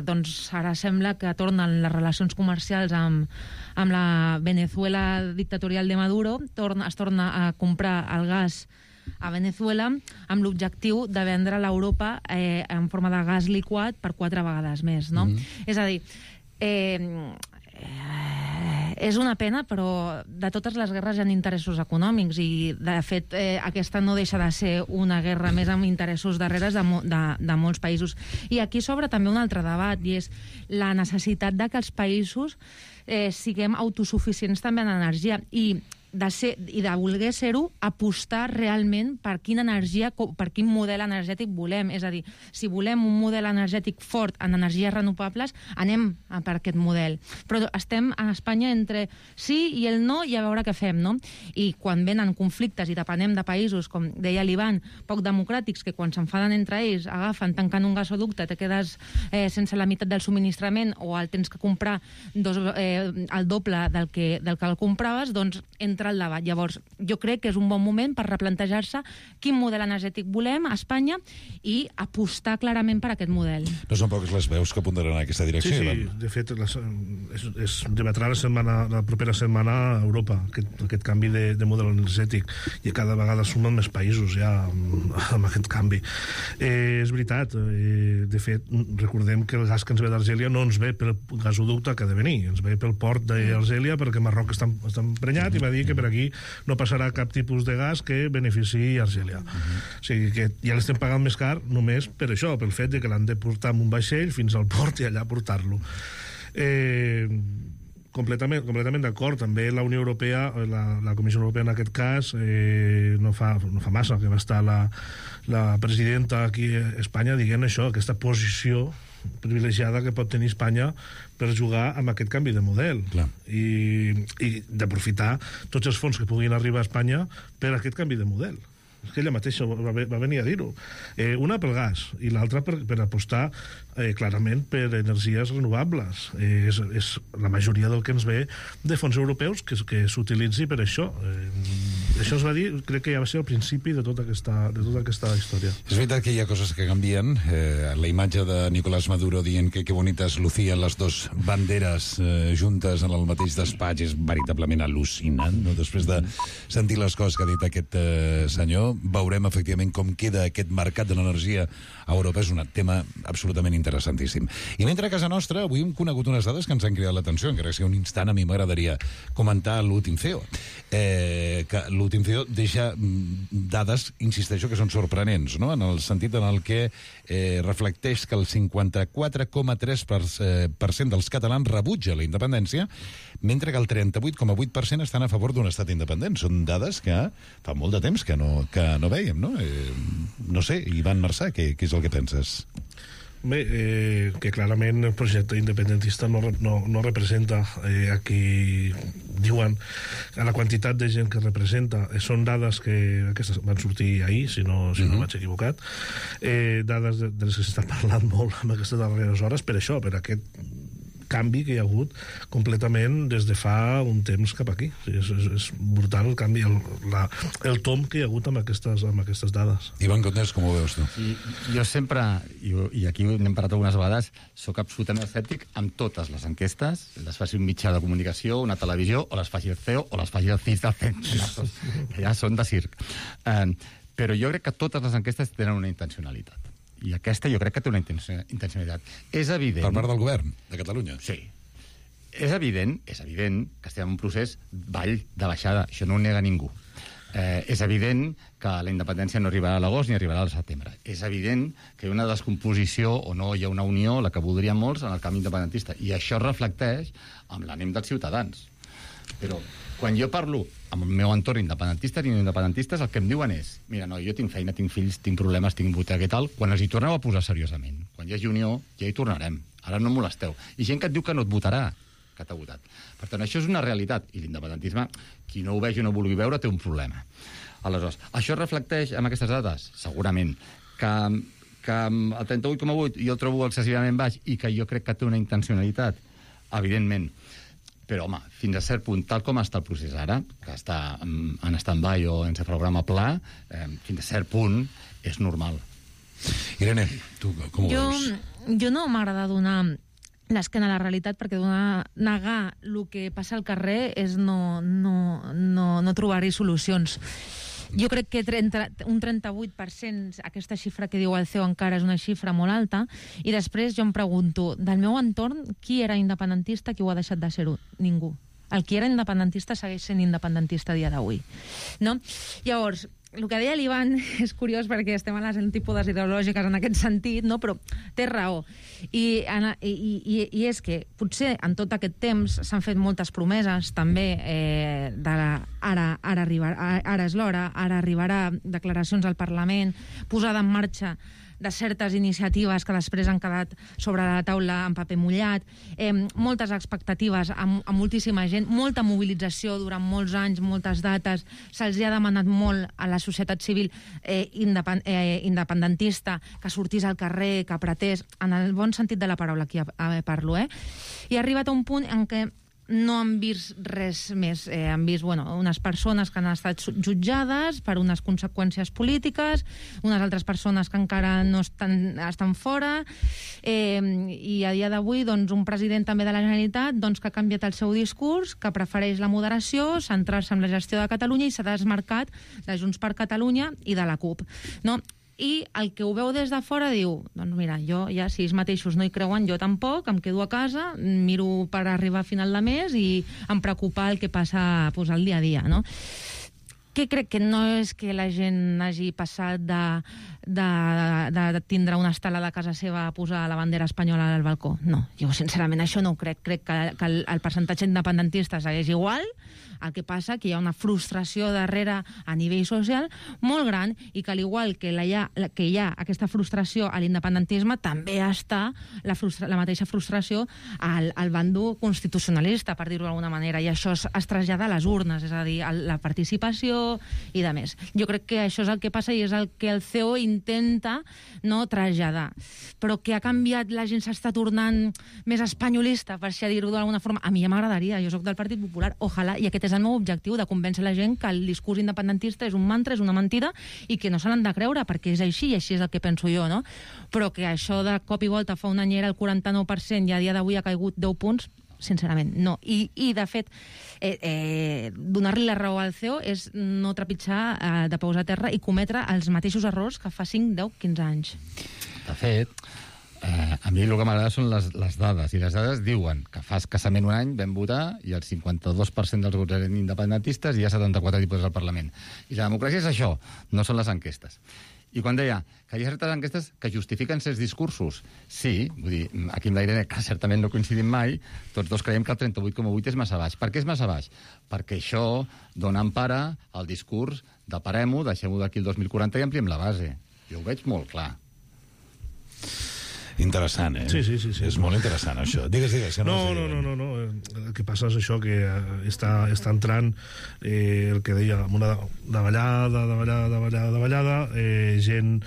doncs ara sembla que tornen les relacions comercials amb la Venezuela dictatorial de Maduro, es torna a comprar el gas a Venezuela amb l'objectiu de vendre a l'Europa en forma de gas liquat per 4 vegades més, no? És a dir, és una pena, però de totes les guerres hi ha interessos econòmics i, de fet, aquesta no deixa de ser una guerra més amb interessos darreres de molts països. I aquí s'obre també un altre debat, i és la necessitat de que els països siguem autosuficients també en energia i de voler ser-ho, apostar realment per quina energia, per quin model energètic volem. És a dir, si volem un model energètic fort en energies renovables, anem per aquest model. Però estem a Espanya entre sí i el no i a veure què fem, no? I quan venen conflictes i depenem de països, com deia l'Ivan, poc democràtics, que quan s'enfaden entre ells agafen, tanquen un gasoducte, te quedes sense la meitat del subministrament o el tens que comprar el doble del que el compraves, doncs entre entrar al debat. Llavors, jo crec que és un bon moment per replantejar-se quin model energètic volem a Espanya i apostar clarament per aquest model. No són poques les veus que apuntaran en aquesta direcció. Sí, de fet, es debatrà la propera setmana a Europa, aquest canvi de model energètic, i cada vegada sumen més països ja amb aquest canvi. És veritat, de fet, recordem que el gas que ens ve d'Argèlia no ens ve pel gasoducte que ha de venir, ens ve pel port d'Argèlia perquè Marroc està emprenyat i va dir que per aquí no passarà cap tipus de gas que beneficiï Argèlia. O sigui que ja l'estem pagant més car només per això, pel fet de que l'han de portar amb un vaixell fins al port i allà portar-lo. Completament d'acord. També la Unió Europea, la Comissió Europea en aquest cas, no fa massa que va estar la presidenta aquí a Espanya dient això, aquesta posició privilegiada que pot tenir Espanya per jugar amb aquest canvi de model. I d'aprofitar tots els fons que puguin arribar a Espanya per aquest canvi de model. És que ella mateixa va venir a dir-ho. Una pel gas i l'altra per apostar clarament per energies renovables. És la majoria del que ens ve de fons europeus que s'utilitzi per això. Això es va dir, crec que ja va ser el principi de tota aquesta història. És veritat que hi ha coses que canvien. La imatge de Nicolás Maduro dient que bonites lucien les dos banderes juntes en el mateix despatx és veritablement al·lucinant, no? Després de sentir les coses que ha dit aquest senyor, veurem efectivament com queda aquest mercat de l'energia a Europa. És un tema absolutament interessantíssim. I mentre a casa nostra avui hem conegut unes dades que ens han cridat l'atenció, encara que sigui un instant, a mi m'agradaria comentar l'últim CEO. Que l'últim CEO deixa dades, insisteixo, que són sorprenents, no? En el sentit en el que reflecteix que el 54,3% dels catalans rebutja la independència, mentre que el 38,8% estan a favor d'un estat independent. Són dades que fa molt de temps que no veiem, no? No sé, Ivan Marçà, què és el que penses? Bé, que clarament el projecte independentista no representa a qui diuen a la quantitat de gent que representa. Són dades que aquestes van sortir ahir, si no vaig equivocat, dades de les que s'està parlant molt en aquestes darreres hores, per això, per aquest canvi que hi ha hagut completament des de fa un temps cap aquí. És brutal el canvi, el tom que hi ha hagut amb aquestes dades. Ivan Condés, com ho veus tu? Jo sempre, i aquí n'hem parlat algunes vegades, soc absolutament escèptic amb totes les enquestes, les faci un mitjà de comunicació, una televisió, o les faci el CEO, o les faci el CIS del CEN, que ja són de circ. Però jo crec que totes les enquestes tenen una intencionalitat. I aquesta jo crec que té una intencionalitat. És evident... Per part del govern de Catalunya? Sí. És evident que estem en un procés de baixada. Això no ho nega ningú. És evident que la independència no arribarà a l'agost ni arribarà al setembre. És evident que hi ha una descomposició o no hi ha una unió, la que voldrien molts, en el camp independentista. I això reflecteix amb l'ànim dels ciutadans. Però quan jo parlo amb el meu entorn independentistes i no independentistes, el que em diuen és: mira, no, jo tinc feina, tinc fills, tinc problemes, tinc hipoteca i tal, quan els hi torneu a posar seriosament. Quan hi hagi unió, ja hi tornarem. Ara no molesteu. I gent que et diu que no et votarà, que t'ha votat. Per tant, això és una realitat. I l'independentisme, qui no ho vegi o no ho vulgui veure, té un problema. Aleshores, això reflecteix amb aquestes dades? Segurament. Que el 38,8 jo el trobo excessivament baix i que jo crec que té una intencionalitat? Evidentment. Però, home, fins a cert punt, tal com està el procés ara, que està en stand-by o en programa pla, fins a cert punt és normal. Irene, tu com ho veus? Jo no m'agrada donar l'esquena a la realitat, perquè negar el que passa al carrer és no trobar-hi solucions. Jo crec que un 38%, aquesta xifra que diu el CEO encara és una xifra molt alta, i després jo em pregunto, del meu entorn, qui era independentista, qui ho ha deixat de ser-ho? Ningú. El qui era independentista segueix sent independentista a dia d'avui. No? Llavors, el que deia l'Ivan és curiós perquè estem a les antípodes ideològiques en aquest sentit, no? Però té raó. I és que potser en tot aquest temps s'han fet moltes promeses també ara és l'hora, ara arribarà, declaracions al Parlament, posada en marxa de certes iniciatives que després han quedat sobre la taula en paper mullat, moltes expectatives a moltíssima gent, molta mobilització durant molts anys, moltes dates, se'ls ha demanat molt a la societat civil independentista que sortís al carrer, que apretés, en el bon sentit de la paraula, aquí parlo, i ha arribat a un punt en què no han vist res més. Han vist unes persones que han estat jutjades per unes conseqüències polítiques, unes altres persones que encara no estan fora, i a dia d'avui un president també de la Generalitat que ha canviat el seu discurs, que prefereix la moderació, centrar-se en la gestió de Catalunya i s'ha desmarcat de Junts per Catalunya i de la CUP. No? I el que ho veu des de fora diu, doncs mira, jo ja, si ells mateixos no hi creuen, jo tampoc, em quedo a casa, miro per arribar a final de mes i em preocupa el que passa al dia a dia, no? Que crec que no és que la gent hagi passat de tindre una estelada a casa seva a posar la bandera espanyola al balcó. No, jo sincerament això no ho crec. Crec que el percentatge independentista segueix igual. El que passa que hi ha una frustració darrere a nivell social molt gran i que al igual que hi ha aquesta frustració a l'independentisme, també està la mateixa frustració al bàndol constitucionalista, per dir-ho d'alguna manera, i això es trasllada a les urnes, és a dir, la participació i de més. Jo crec que això és el que passa i és el que el CEO intenta traslladar. Però que ha canviat, la gent s'està tornant més espanyolista, per així dir-ho d'alguna forma, a mi ja m'agradaria, jo soc del Partit Popular, ojalà, i aquest és el meu objectiu, de convèncer la gent que el discurs independentista és un mantra, és una mentida, i que no se l'han de creure, perquè és així, i així és el que penso jo, no? Però que això de cop i volta fa un any era el 49% i a dia d'avui ha caigut 10 punts, sincerament, no. I de fet, donar-li la raó al CEO és no trepitjar de peus a terra i cometre els mateixos errors que fa 5, 10, 15 anys. De fet, a mi el que m'agrada són les dades, i les dades diuen que fa escassament un any vam votar i el 52% dels vots eren independentistes i hi ha 74 diputats al Parlament. I la democràcia és això, no són les enquestes. I quan deia que hi ha certes enquestes que justifiquen certs discursos, sí, vull dir, aquí amb la Irene, que certament no coincidim mai, tots dos creiem que el 38,8 és massa baix. Per què és massa baix? Perquè això dona empara al discurs de parem-ho, deixem-ho d'aquí el 2040 i ampliem la base. Jo ho veig molt clar. Interessant, eh? Sí. És molt interessant, això. Digues. No. El que passa és això, que està entrant el que deia, amb una davallada, gent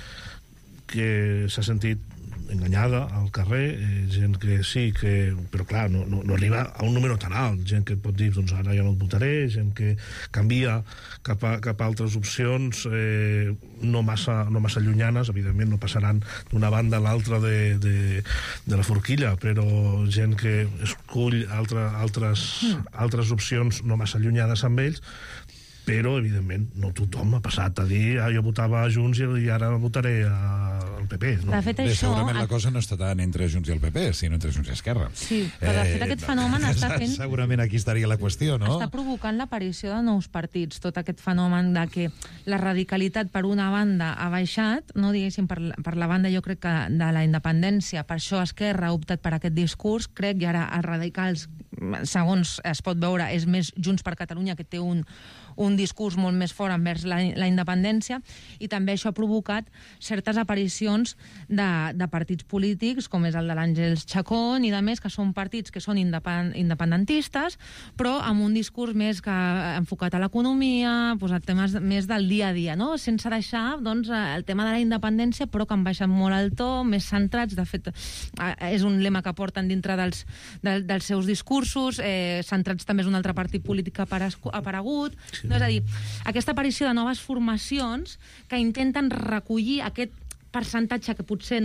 que s'ha sentit enganyada al carrer, gent que sí, però clar, no arriba a un número tan alt, gent que pot dir, doncs ara ja no et votaré, gent que canvia cap a altres opcions no massa llunyanes, evidentment no passaran d'una banda a l'altra de la forquilla, però gent que escull altres opcions no massa allunyades amb ells, però, evidentment, no tothom ha passat a dir jo votava a Junts i ara votaré al PP. No? De fet, això... Segurament la cosa no està tant entre Junts i el PP, sinó entre Junts i Esquerra. Sí, però de fet aquest fenomen està fent... Segurament aquí estaria la qüestió, no? Està provocant l'aparició de nous partits, tot aquest fenomen de que la radicalitat per una banda ha baixat, no diguéssim per la banda, jo crec que de la independència, per això Esquerra ha optat per aquest discurs, crec, i ara els radicals, segons es pot veure, és més Junts per Catalunya, que té un discurs molt més fort envers la independència, i també això ha provocat certes aparicions de partits polítics, com és el de l'Àngels Chacón i de més, que són partits que són independentistes, però amb un discurs més enfocat a l'economia, a temes més del dia a dia, no? Sense deixar el tema de la independència, però que han baixat molt el to, més centrats. De fet, és un lema que porten dintre dels seus discursos, centrats també és un altre partit polític que ha aparegut. No, és a dir, aquesta aparició de noves formacions que intenten recollir aquest percentatge que potser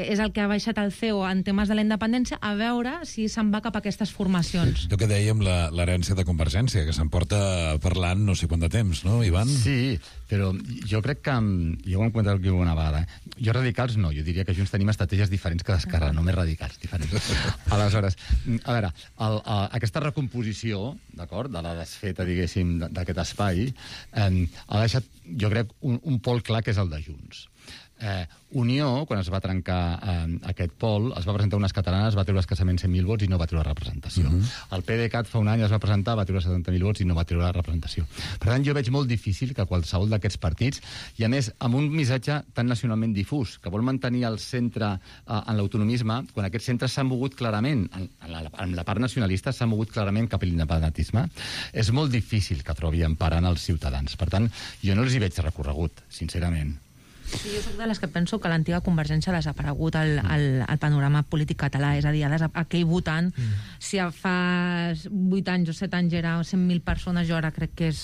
és el que ha baixat el CEO en temes de la independència, a veure si se'n va cap a aquestes formacions. El que dèiem, l'herència de Convergència, que se'n porta parlant no sé quant de temps, no, Ivan? Sí, però jo crec que... Jo ho hem comentat aquí una vegada. Jo radicals no, jo diria que Junts tenim estratègies diferents que d'Esquerra, no més radicals, diferents. Aleshores, a veure, aquesta recomposició, d'acord, de la desfeta, diguéssim, d'aquest espai, ha deixat, jo crec, un pol clar que és el de Junts. Unió, quan es va trencar aquest pol, es va presentar unes catalanes, va treure escassament 100.000 vots i no va treure representació. El PDeCAT fa un any es va presentar, va treure 70.000 vots i no va treure representació. Per tant, jo veig molt difícil que qualsevol d'aquests partits, i a més, amb un missatge tan nacionalment difús, que vol mantenir el centre en l'autonomisme, quan aquests centres s'han mogut clarament, en la part nacionalista s'han mogut clarament cap a l'independentisme, és molt difícil que trobi emparant els ciutadans. Per tant, jo no els hi veig recorregut, sincerament. Sí, jo soc de les que penso que l'antiga Convergència ha desaparegut al panorama polític català, és a dir, aquell votant, si fa 8 anys o 7 anys era 100.000 persones, jo ara crec que és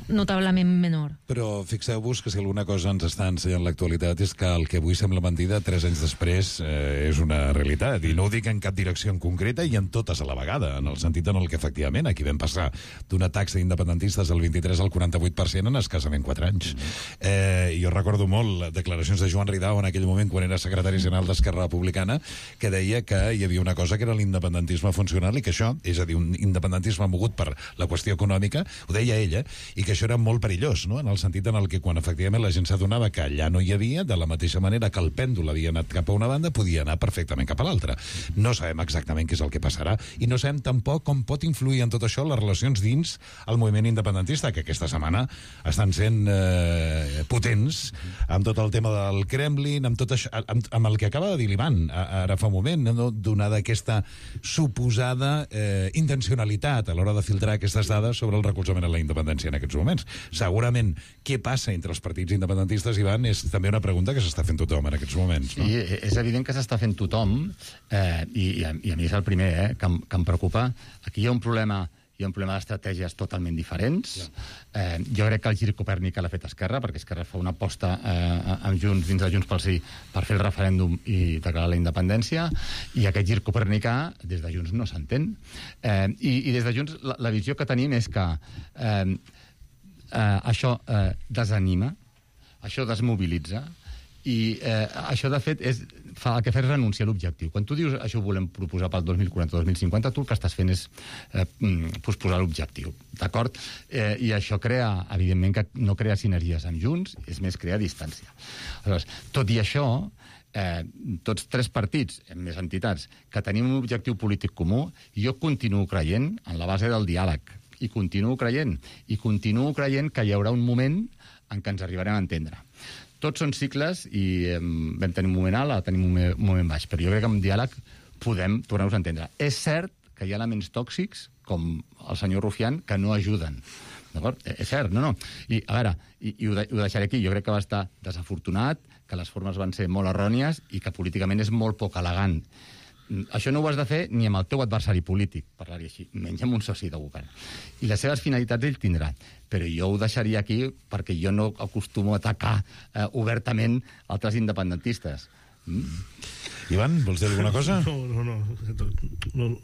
notablement menor. Però fixeu-vos que si alguna cosa ens està ensenyant l'actualitat és que el que avui sembla mentida 3 anys després és una realitat, i no ho dic en cap direcció en concreta i en totes a la vegada, en el sentit en el que efectivament aquí vam passar d'una taxa d'independentistes del 23 al 48% en escassament 4 anys. Jo recordo molt declaracions de Joan Ridao en aquell moment, quan era secretari general d'Esquerra Republicana, que deia que hi havia una cosa que era l'independentisme funcional i que això, és a dir, un independentisme mogut per la qüestió econòmica, ho deia ella, i que això era molt perillós, no? En el sentit en el que quan efectivament la gent s'adonava que allà no hi havia, de la mateixa manera que el pèndol havia anat cap a una banda, podia anar perfectament cap a l'altra. No sabem exactament què és el que passarà i no sabem tampoc com pot influir en tot això les relacions dins el moviment independentista, que aquesta setmana estan sent potents amb tot el tema del Kremlin, amb tot això, amb el que acaba de dir l'Ivan ara fa un moment, no? Donada aquesta suposada intencionalitat a l'hora de filtrar aquestes dades sobre el recolzament a la independència en aquests moments. Segurament, què passa entre els partits independentistes, Ivan, és també una pregunta que s'està fent tothom en aquests moments. No? Sí, és evident que s'està fent tothom, i a mi és el primer que em preocupa. Aquí hi ha un problema d'estratègies totalment diferents. Jo crec que el gir copèrnic l'ha fet Esquerra, perquè Esquerra fa una aposta amb Junts, dins de Junts pel Sí, per fer el referèndum i declarar la independència, i aquest gir copernicà des de Junts no s'entén. I des de Junts la visió que tenim és que això desanima, això desmobilitza, i això, de fet, el que fa és renunciar a l'objectiu. Quan tu dius això ho volem proposar pel 2040-2050, tu el que estàs fent és posposar l'objectiu, d'acord? I això crea, evidentment, que no crea sinergies amb Junts, és més, crea distància. Aleshores, tot i això, tots 3 partits, més entitats, que tenim un objectiu polític comú, jo continuo creient en la base del diàleg, i continuo creient que hi haurà un moment en què ens arribarem a entendre. Tots són cicles i vam tenir un moment alt, ara tenim un moment baix, però jo crec que amb diàleg podem tornar-nos a entendre. És cert que hi ha elements tòxics, com el senyor Rufián, que no ajuden. D'acord? És cert, no. I, a veure, i ho deixaré aquí, jo crec que va estar desafortunat, que les formes van ser molt errònies i que políticament és molt poc elegant. Això no ho has de fer ni amb el teu adversari polític, parlar-hi així, menys amb un soci de govern. I les seves finalitats ell tindrà. Però jo ho deixaria aquí perquè jo no acostumo a atacar obertament altres independentistes. Ivan, vols dir alguna cosa? No.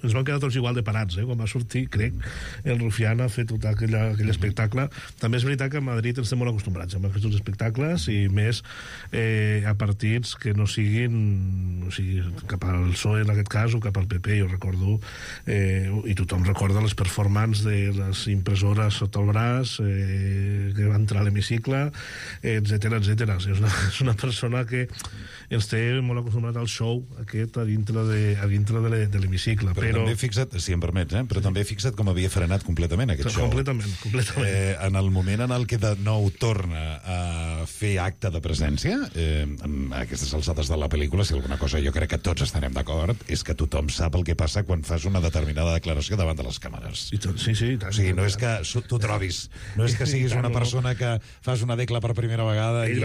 Ens van quedar tots igual de parats, quan va sortir, crec, el Rufián ha fet tot aquell espectacle. També és veritat que a Madrid ens estem molt acostumbrats a aquests espectacles, i més a partits que no siguin, o sigui, cap al PSOE en aquest cas, o cap al PP. Jo recordo, i tothom recorda les performances de les impressores sota el braç, que va entrar a l'hemicicle, etc. És una persona que ens té molt acostumbrat al show aquest a dintre de l'hemicicle. Però també fixa't, si em permets, però també fixa't com havia frenat completament aquest show. Completament. En el moment en el que de nou torna a fer acte de presència, a aquestes alçades de la pel·lícula, si alguna cosa jo crec que tots estarem d'acord, és que tothom sap el que passa quan fas una determinada declaració davant de les càmeres. Sí, tant. O sigui, no és que tu trobis, no és que siguis una persona que fas una decla per primera vegada i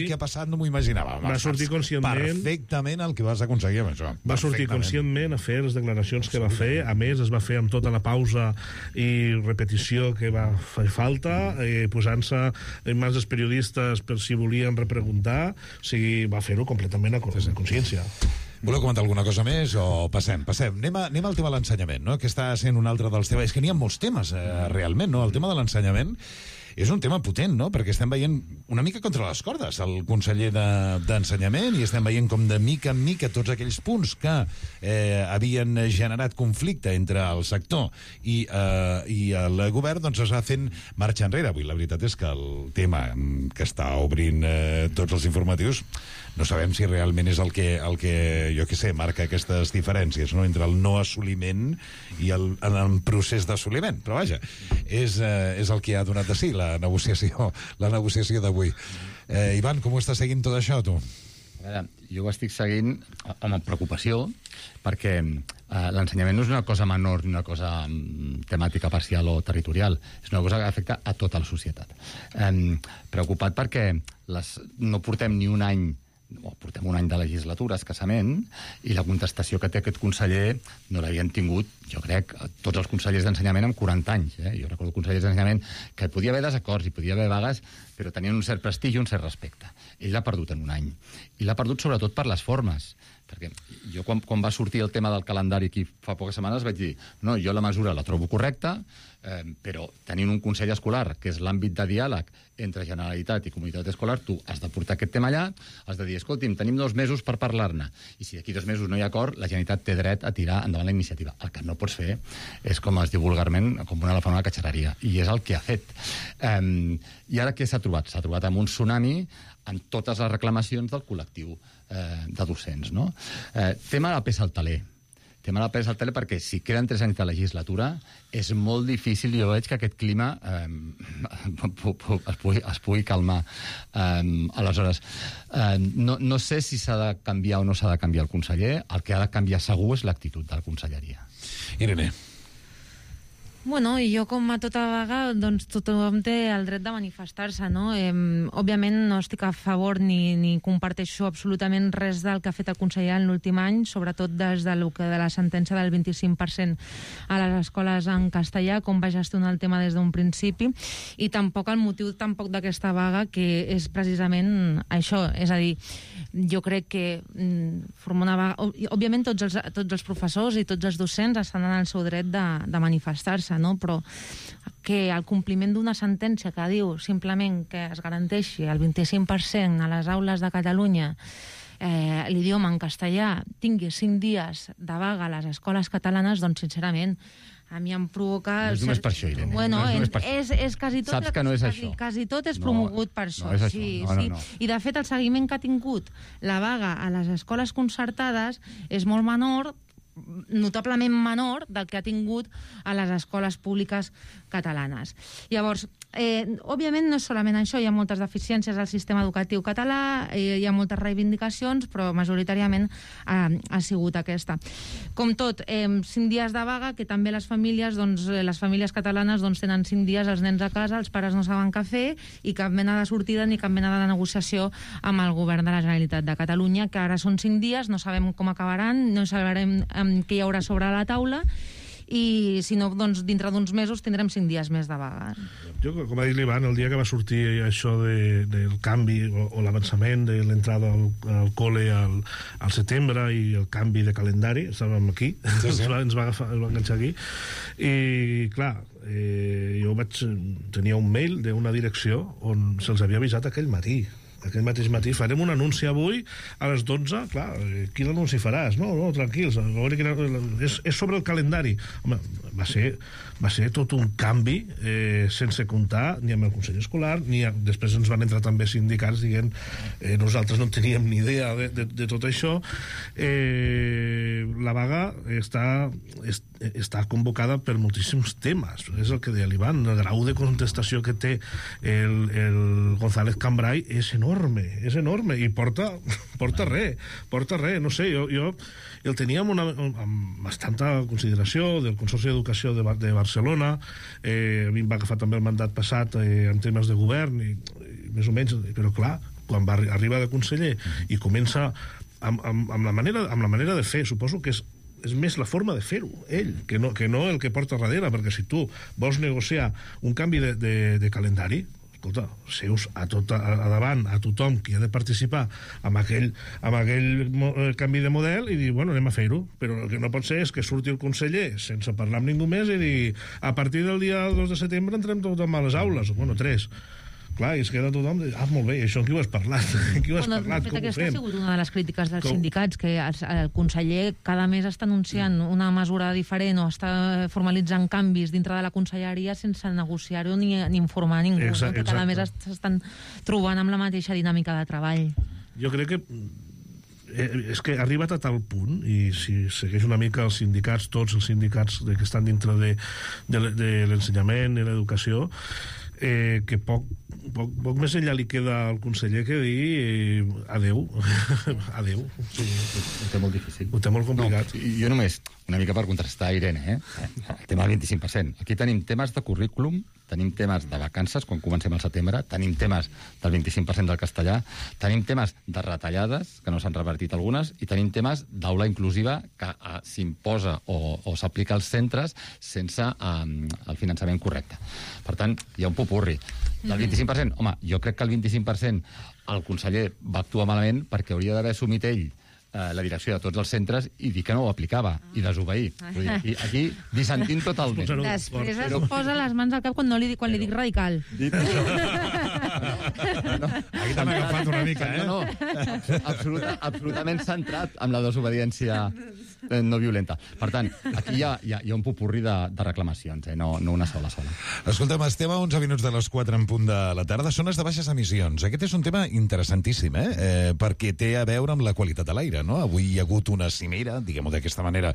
què ha passat, no m'ho imaginava. Va sortir conscientment perfectament el que vas aconseguir amb això. Va sortir conscientment a fer les declaracions que va fer. A més, es va fer amb tota la pausa i repetició que va fer falta, posant-se en mans dels periodistes per si volien repreguntar. O sigui, va fer-ho completament a consciència. Voleu comentar alguna cosa més o passem? Anem al tema de l'ensenyament, no? Que està sent un altre dels temes. És que n'hi ha molts temes, realment, no? El tema de l'ensenyament és un tema potent, no? Perquè estem veient una mica contra les cordes el conseller d'Ensenyament, i estem veient com de mica en mica tots aquells punts que havien generat conflicte entre el sector i el govern, doncs es va fent marxa enrere. Avui la veritat és que el tema que està obrint tots els informatius no sabem si realment és el que jo què sé, marca aquestes diferències, no? Entre el no assoliment i el procés d'assoliment. Però vaja, és el que ha donat de si la negociació d'avui. Ivan, com ho estàs seguint tot això, tu? A veure, jo ho estic seguint amb preocupació, perquè l'ensenyament no és una cosa menor ni una cosa temàtica parcial o territorial, és una cosa que afecta a tota la societat. Preocupat perquè no portem ni un any, portem un any de legislatura, escassament, i la contestació que té aquest conseller no l'havien tingut, jo crec, tots els consellers d'ensenyament amb 40 anys. Jo recordo consellers d'ensenyament que hi podia haver desacords, hi podia haver vagues, però tenien un cert prestigi i un cert respecte. Ell l'ha perdut en un any. I l'ha perdut sobretot per les formes. Perquè jo, quan va sortir el tema del calendari aquí fa poques setmanes, vaig dir, no, jo la mesura la trobo correcta, però tenint un consell escolar, que és l'àmbit de diàleg entre Generalitat i comunitat escolar, tu has de portar aquest tema allà, has de dir, escolti'm, tenim 2 mesos per parlar-ne, i si d'aquí 2 mesos no hi ha acord, la Generalitat té dret a tirar endavant la iniciativa. El que no pots fer és, com es diu vulgarment, com un elefant a la catxarreria, i és el que ha fet. I ara què s'ha trobat? S'ha trobat amb un tsunami amb totes les reclamacions del col·lectiu de docents, no? Tema de la pes al taler. Tema de la pes al taler perquè si queden 3 anys de legislatura és molt difícil, jo veig, que aquest clima es pugui calmar. Aleshores, no sé si s'ha de canviar o no s'ha de canviar el conseller. El que ha de canviar segur és l'actitud de la conselleria. Irene. Bueno, i jo, com a tota vaga, doncs tothom té el dret de manifestar-se, no? Òbviament no estic a favor ni comparteixo absolutament res del que ha fet el conseller en l'últim any, sobretot des de la sentència del 25% a les escoles en castellà, com va gestionar el tema des d'un principi, i tampoc el motiu d'aquesta vaga, que és precisament això, és a dir, jo crec que formar una vaga... Òbviament tots els professors i tots els docents estan en el seu dret de manifestar-se, no? Però que el compliment d'una sentència que diu simplement que es garanteixi el 25% a les aules de Catalunya l'idioma en castellà tingui 5 dies de vaga a les escoles catalanes, doncs sincerament a mi em provoca... No és només per això, Irene. Bueno, és quasi tot... Saps que no és això. Quasi tot és promogut per això. No és això. No. I, de fet, el seguiment que ha tingut la vaga a les escoles concertades és molt menor, notablement menor del que ha tingut a les escoles públiques catalanes. Llavors, òbviament no és solament això, hi ha moltes deficiències al sistema educatiu català, hi ha moltes reivindicacions, però majoritàriament ha sigut aquesta. Com tot, 5 dies de vaga, que també les famílies catalanes tenen 5 dies els nens a casa, els pares no saben què fer, i cap mena de sortida ni cap mena de negociació amb el govern de la Generalitat de Catalunya, que ara són 5 dies, no sabem com acabaran, no sabrem què hi haurà sobre la taula, i si no, doncs dintre d'uns mesos tindrem 5 dies més de vaga. Jo, com ha dit l'Ivan, el dia que va sortir això del canvi o l'avançament de l'entrada al col·le al setembre i el canvi de calendari, estàvem aquí, ens va enganxar aquí, i clar, jo tenia un mail d'una direcció on se'ls havia avisat aquell mateix matí, farem un anunci avui a les 12, clar, quin anunci faràs? No, tranquils, és sobre el calendari. Home, va ser tot un canvi sense comptar ni amb el Consell Escolar, després ens van entrar també sindicats dient nosaltres no teníem ni idea de tot això. La vaga està convocada per moltíssims temes, és el que deia l'Ivan, el grau de contestació que té el González Cambray és enorme, i porta res, no sé, jo el tenia amb bastanta consideració del Consorci d'Educació de Barcelona, a mi em va agafar també el mandat passat en temes de govern, i més o menys, però clar, quan arriba de conseller i comença amb la manera de fer, suposo que és més la forma de fer-ho, ell, que no el que porta darrere, perquè si tu vols negociar un canvi de calendari, escolta, seus a davant a tothom qui ha de participar amb aquell canvi de model i dir, bueno, anem a fer-ho, però el que no pot ser és que surti el conseller sense parlar amb ningú més i dir, a partir del dia 2 de setembre entrem tothom a les aules, bueno, 3. Clar, i es queda tothom de, molt bé, això en qui ho has parlat? Com ho fem? Aquesta ha sigut una de les crítiques dels sindicats, que el conseller cada mes està anunciant una mesura diferent o està formalitzant canvis dintre de la conselleria sense negociar-ho ni informar ningú, que cada mes s'estan trobant amb la mateixa dinàmica de treball. Jo crec que és que ha arribat a tal punt, i si segueix una mica els sindicats, tots els sindicats que estan dintre de l'ensenyament i l'educació, que poc més enllà li queda al conseller que dir adeu. Adeu. Ho té molt difícil. Ho té molt complicat. No, jo només, una mica per contrastar Irene, el tema del 25%. Aquí tenim temes de currículum tenim temes de vacances, quan comencem al setembre, tenim temes del 25% del castellà, tenim temes de retallades, que no s'han revertit algunes, i tenim temes d'aula inclusiva que s'imposa o s'aplica als centres sense el finançament correcte. Per tant, hi ha un popurri. Del 25%, home, jo crec que el 25% el conseller va actuar malament perquè hauria d'haver assumit ell la direcció de tots els centres i dir que no ho aplicava i desobeir. I aquí dissentint totalment. Després es posa les mans al cap quan li dic radical. Aquí t'han agafat una mica, eh? No, absolutament centrat amb la desobediència no violenta. Per tant, aquí hi ha un popurri de reclamacions, no una sola. Escolta'm, estem a 11 minuts de les 4 en punt de la tarda. Zones de baixes emissions. Aquest és un tema interessantíssim, perquè té a veure amb la qualitat de l'aire, no? Avui hi ha hagut una cimera, diguem-ho d'aquesta manera,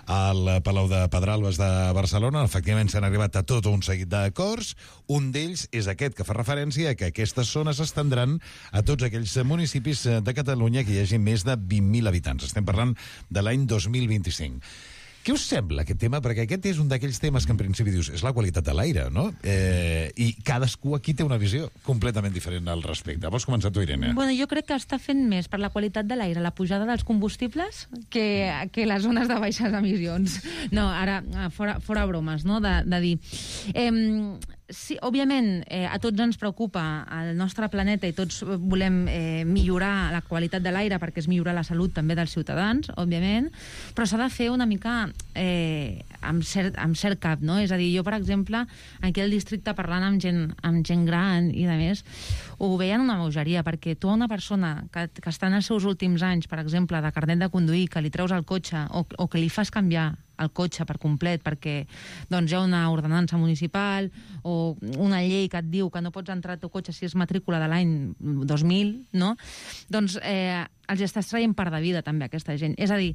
al Palau de Pedralbes de Barcelona. Efectivament, s'han arribat a tot un seguit d'acords. Un d'ells és aquest, que fa referència a que aquestes zones s'estendran a tots aquells municipis de Catalunya que hi hagi més de 20.000 habitants. Estem parlant de l'any 2025. Què us sembla aquest tema? Perquè aquest és un d'aquells temes que en principi dius és la qualitat de l'aire, no? I cadascú aquí té una visió completament diferent al respecte. Vols començar tu, Irene? Bueno, jo crec que està fent més per la qualitat de l'aire, la pujada dels combustibles, que les zones de baixes emissions. No, ara, fora bromes, no?, de dir... Sí, òbviament, a tots ens preocupa el nostre planeta i tots volem millorar la qualitat de l'aire perquè es millora la salut també dels ciutadans, òbviament, però s'ha de fer una mica amb cert cap, no? És a dir, jo, per exemple, aquí al districte parlant amb gent gran i de més, ho veien una bogeria, perquè tu a una persona que està en els seus últims anys, per exemple, de carnet de conduir, que li treus el cotxe o que li fas canviar el cotxe per complet perquè doncs, hi ha una ordenança municipal o una llei que et diu que no pots entrar al teu cotxe si és matrícula de l'any 2000, no? Doncs els estàs traient part de vida també aquesta gent. És a dir,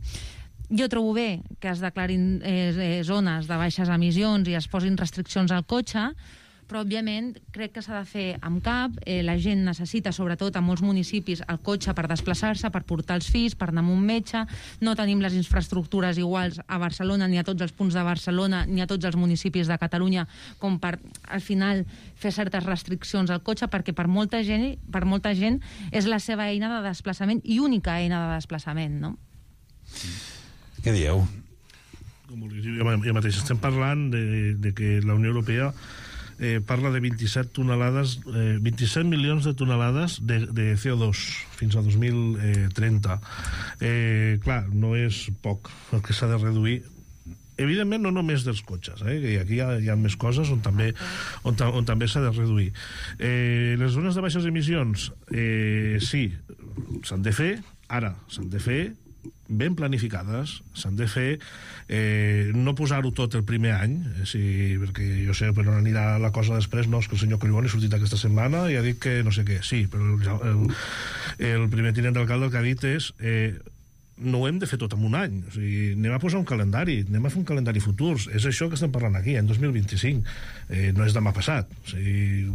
jo trobo bé que es declarin zones de baixes emissions i es posin restriccions al cotxe, però, òbviament, crec que s'ha de fer amb cap. La gent necessita, sobretot a molts municipis, el cotxe per desplaçar-se, per portar els fills, per anar a un metge. No tenim les infraestructures iguals a Barcelona, ni a tots els punts de Barcelona, ni a tots els municipis de Catalunya, com per, al final, fer certes restriccions al cotxe, perquè per molta gent és la seva eina de desplaçament i única eina de desplaçament, no? Què dieu? Jo mateix estem parlant de que la Unió Europea parla de 27 milions de tonelades de CO2 fins a 2030. Clar, no és poc el que s'ha de reduir. Evidentment, no només dels cotxes, que aquí hi ha més coses on també s'ha de reduir. Les zones de baixes emissions, sí, s'han de fer, ara s'han de fer ben planificades, s'han de fer, no posar-ho tot el primer any, perquè jo sé per on anirà la cosa després, no, és que el senyor Collboni ha sortit aquesta setmana i ha dit que no sé què, sí, però el primer tinent d'alcalde el que ha dit és no ho hem de fer tot en un any, o sigui, anem a posar un calendari, anem a fer un calendari futur, és això que estem parlant aquí, en 2025, no és demà passat, o sigui,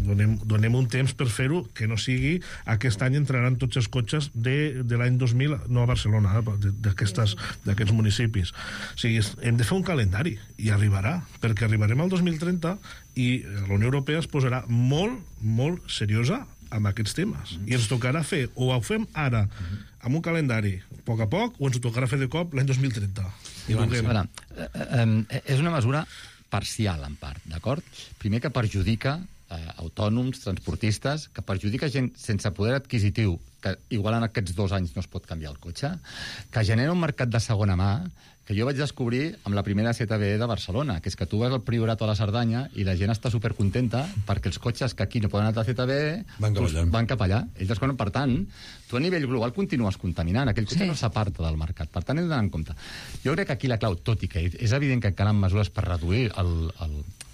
donem un temps per fer-ho, que no sigui aquest any entraran tots els cotxes de l'any 2000, no a Barcelona, d'aquests municipis. O sigui, hem de fer un calendari, i arribarà, perquè arribarem al 2030 i la Unió Europea es posarà molt, molt seriosa amb aquests temes. I ens tocarà fer, o ho fem ara, amb un calendari, a poc, o ens ho tocarà fer de cop l'any 2030. És una mesura parcial, en part, d'acord? Primer que perjudica autònoms, transportistes, que perjudica gent sense poder adquisitiu, que igual en aquests 2 anys no es pot canviar el cotxe, que genera un mercat de segona mà, que jo vaig descobrir amb la primera CTB de Barcelona, que és que tu vas al Priorat o a la Cerdanya i la gent està supercontenta perquè els cotxes que aquí no poden anar a la CTB van cap allà. Ells desconen, per tant, tu a nivell global continues contaminant, aquell cotxe no s'aparta del mercat, per tant hem d'anar en compte. Jo crec que aquí la clau, tot i que és evident que calen mesures per reduir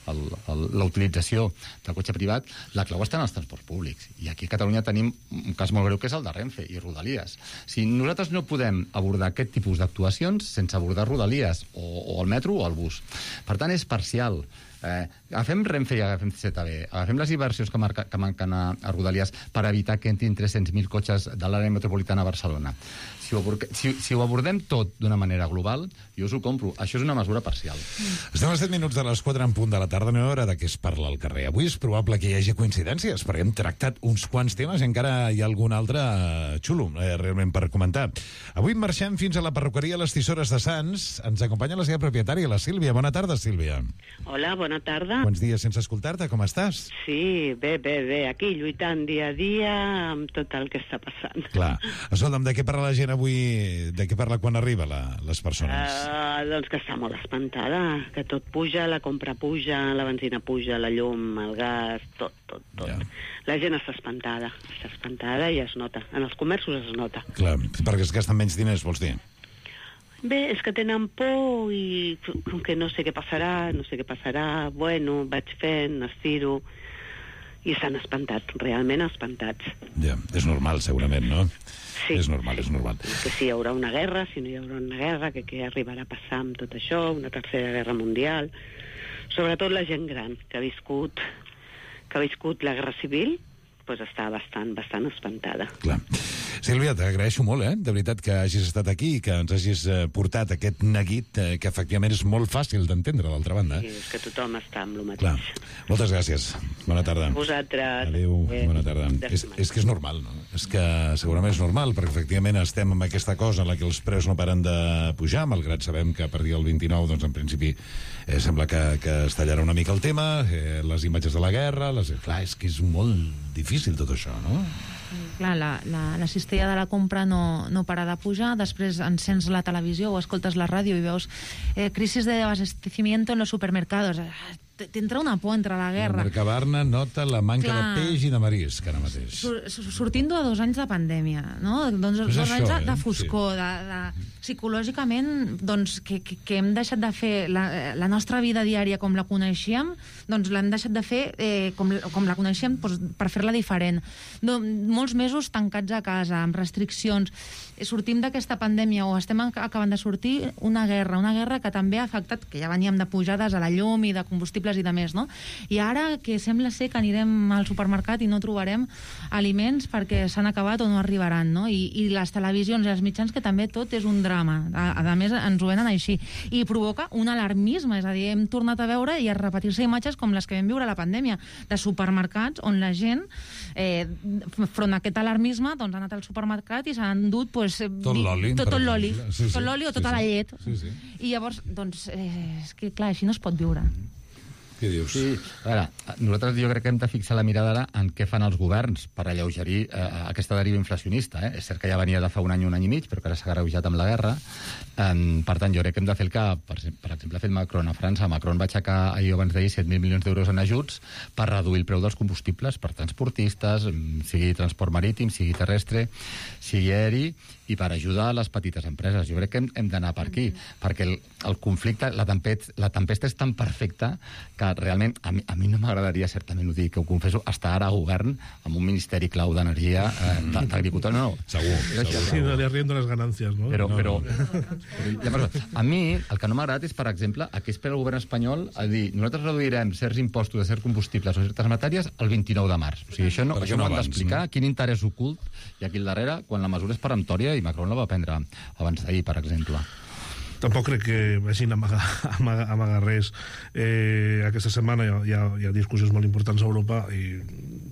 la utilització del cotxe privat, la clau està en els transports públics. I aquí a Catalunya tenim un cas molt greu que és el de Renfe i Rodalies. Si nosaltres no podem abordar aquest tipus d'actuacions sense abordar Rodalies o el metro o el bus. Per tant, és parcial. Agafem Renfe i agafem ZB, agafem les inversions que manquen a Rodalies per evitar que entrin 300.000 cotxes de l'àrea metropolitana a Barcelona. Si ho abordem tot d'una manera global, jo us ho compro. Això és una mesura parcial. Estem a 7 minuts de les 4 en punt de la tarda, no hi ha hora de què es parla al carrer. Avui és probable que hi hagi coincidències, perquè hem tractat uns quants temes i encara hi ha algun altre xulo, realment, per comentar. Avui marxem fins a la perruqueria Les Tisores de Sants. Ens acompanya la seva propietària, la Sílvia. Bona tarda, Sílvia. Hola, bona tarda. Quants dies sense escoltar-te, com estàs? Sí, bé, aquí lluitant dia a dia amb tot el que està passant. Clar. Escolta'm, de què parla la gent avui? De què parla quan arriba les persones? Doncs que està molt espantada, que tot puja, la compra puja, la benzina puja, la llum, el gas, tot. Ja. La gent està espantada i es nota. En els comerços es nota. Clar, perquè es gasten menys diners, vols dir? Bé, és que tenen por i com que no sé què passarà, bueno, vaig fent, estiro, i s'han espantat, realment espantats. Ja, és normal, segurament, no? Sí. És normal. Que si hi haurà una guerra, si no hi haurà una guerra, que què arribarà a passar amb tot això, una tercera guerra mundial. Sobretot la gent gran, que ha viscut la guerra civil, doncs està bastant espantada. Clar. Sílvia, t'agraeixo molt, de veritat, que hagis estat aquí i que ens hagis portat aquest neguit que efectivament és molt fàcil d'entendre, d'altra banda. Sí, és que tothom està amb el mateix. Clar. Moltes gràcies. Bona tarda. Vosaltres. Adéu, bona tarda. És que és normal, no? És que segurament és normal, perquè efectivament estem amb aquesta cosa en la que els preus no paren de pujar, malgrat sabem que a partir del 29, doncs en principi sembla que es tallarà una mica el tema, les imatges de la guerra, clar, és que és molt difícil tot això, no? Clar, la cistella de la compra no para de pujar, després encens la televisió o escoltes la ràdio i veus crisis de abastecimiento en los supermercados. T'entra una por entre la guerra. El Mercabarna nota la manca de peix i de marisc ara mateix. Sortint de 2 anys de pandèmia, no? Doncs 2 anys de foscor, psicològicament, doncs, que hem deixat de fer la nostra vida diària com la coneixíem, doncs l'hem deixat de fer com la coneixíem per fer-la diferent. Molts mesos tancats a casa, amb restriccions. Sortim d'aquesta pandèmia o estem acabant de sortir una guerra que també ha afectat, que ja veníem de pujades a la llum i de combustibles i de més, no? I ara que sembla ser que anirem al supermercat i no trobarem aliments perquè s'han acabat o no arribaran, no? I les televisions i els mitjans, que també tot és un drama. A més, ens ho venen així. I provoca un alarmisme, és a dir, hem tornat a veure i a repetir-se imatges com les que vam viure a la pandèmia, de supermercats on la gent, front a aquest alarmisme, doncs ha anat al supermercat i s'han endut tot l'oli o tota la llet. I llavors, doncs, és que clar, així no es pot viure. Què dius? Sí, a veure, nosaltres jo crec que hem de fixar la mirada ara en què fan els governs per alleugerir aquesta deriva inflacionista. És cert que ja venia de fa un any i mig, però que ara s'ha agreujat amb la guerra. Per tant, jo crec que hem de fer el que, per exemple, ha fet Macron a França. Macron va aixecar, abans d'ahir, 7.000 milions d'euros en ajuts per reduir el preu dels combustibles per transportistes, sigui transport marítim, sigui terrestre, sigui aeri, i per ajudar a les petites empreses. Jo crec que hem d'anar per aquí, perquè el conflicte, la tempesta és tan perfecta que realment a mi no m'agradaria, certament ho dic, que ho confesso, estar ara a govern amb un ministeri clau d'energia, d'agricultura, no. Segur. Sí, no li arriendo les ganàncies, no? Però a mi el que no m'ha agradat és, per exemple, a què espera el govern espanyol a dir, nosaltres reduirem certs impostos de certs combustibles o certes matèries el 29 de març. O sigui, això m'ho han d'explicar, quin interès ocult hi ha aquí al darrere, quan la mesura és peremptòria i Macron la va prendre abans d'ahir, per exemple. Tampoc crec que vagin a amagar res. Aquesta setmana hi ha discussions molt importants a Europa i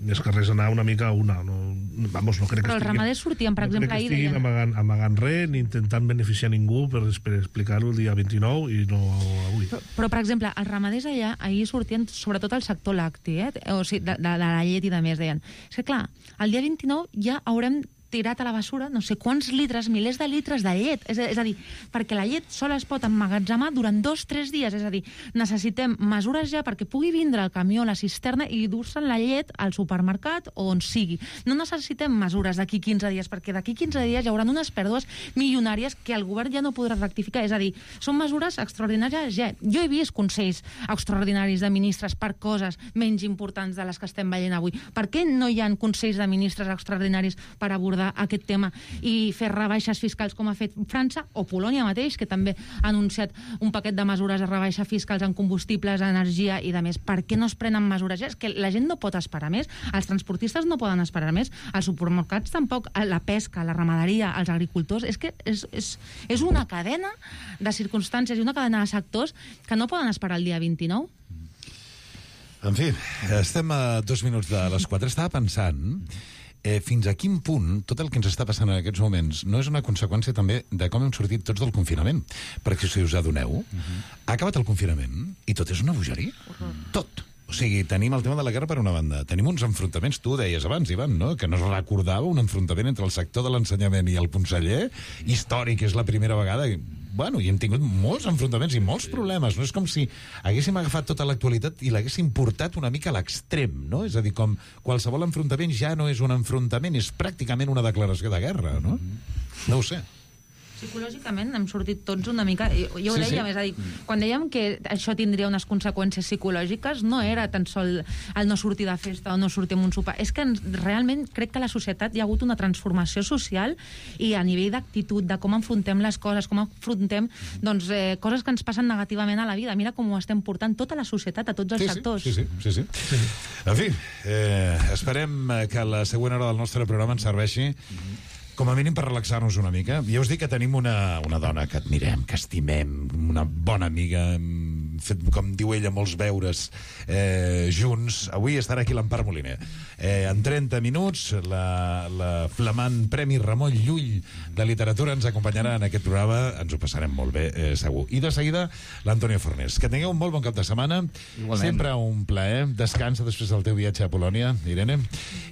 més que res anar una mica a una. No crec que però els ramaders sortien, per exemple, ahir... No crec que estiguin amagant res ni intentant beneficiar ningú per explicar-ho el dia 29 i no avui. Però, per exemple, els ramaders allà ahir sortien, sobretot el sector lacti, o sigui, de la llet i de més, deien. És que, clar, el dia 29 ja haurem tirat a la bessura no sé quants litres, milers de litres de llet. És a dir, perquè la llet sola es pot emmagatzemar durant 2-3 dies. És a dir, necessitem mesures ja perquè pugui vindre el camió, la cisterna i dur-se'n la llet al supermercat o on sigui. No necessitem mesures d'aquí 15 dies, perquè d'aquí 15 dies hi haurà unes pèrdues milionàries que el govern ja no podrà rectificar. És a dir, són mesures extraordinàries ja. Jo he vist consells extraordinaris de ministres per coses menys importants de les que estem veient avui. Per què no hi ha consells de ministres extraordinaris per abordar abordar aquest tema i fer rebaixes fiscals com ha fet França o Polònia mateix, que també ha anunciat un paquet de mesures de rebaixa fiscals en combustibles, energia i de més. Per què no es prenen mesures? És que la gent no pot esperar més, els transportistes no poden esperar més, els supermercats tampoc, la pesca, la ramaderia, els agricultors, és que és una cadena de circumstàncies i una cadena de sectors que no poden esperar el dia 29. En fi, estem a 2 minuts de les 4. Estava pensant fins a quin punt tot el que ens està passant en aquests moments no és una conseqüència també de com hem sortit tots del confinament. Perquè si us adoneu, ha acabat el confinament i tot és una bogeria. Tot. O sigui, tenim el tema de la guerra per una banda, tenim uns enfrontaments, tu ho deies abans, Ivan, no? Que no es recordava un enfrontament entre el sector de l'ensenyament i el conseller, històric, és la primera vegada. Bueno, i hem tingut molts enfrontaments i molts problemes, no? És com si haguéssim agafat tota l'actualitat i l'haguéssim portat una mica a l'extrem, no? És a dir, com qualsevol enfrontament ja no és un enfrontament, és pràcticament una declaració de guerra, no? No ho sé. Psicològicament hem sortit tots una mica... Jo ho deia, és a dir, quan dèiem que això tindria unes conseqüències psicològiques, no era tan sol el no sortir de festa o no sortir amb un sopar. És que realment crec que a la societat hi ha hagut una transformació social i a nivell d'actitud, de com enfrontem les coses, com enfrontem coses que ens passen negativament a la vida. Mira com ho estem portant tota la societat, a tots els sectors. Sí. En fi, esperem que la següent hora del nostre programa ens serveixi com a mínim per relaxar-nos una mica. Ja us dic que tenim una dona que admirem, que estimem, una bona amiga, hem fet, com diu ella, molts beures junts. Avui estarà aquí l'Empar Moliner. En 30 minuts, la flamant Premi Ramon Llull de Literatura ens acompanyarà en aquest programa. Ens ho passarem molt bé, segur. I de seguida, l'Antonio Fornés. Que tingueu un molt bon cap de setmana. Igualment. Sempre un plaer. Descansa després del teu viatge a Polònia, Irene.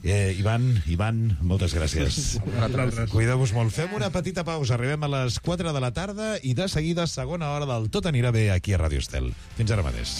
Ivan, moltes gràcies. Cuideu-vos molt. Fem una petita pausa. Arribem a les 4 de la tarda i de seguida segona hora del Tot anirà bé aquí a Ràdio Estel. Fins ara mateix.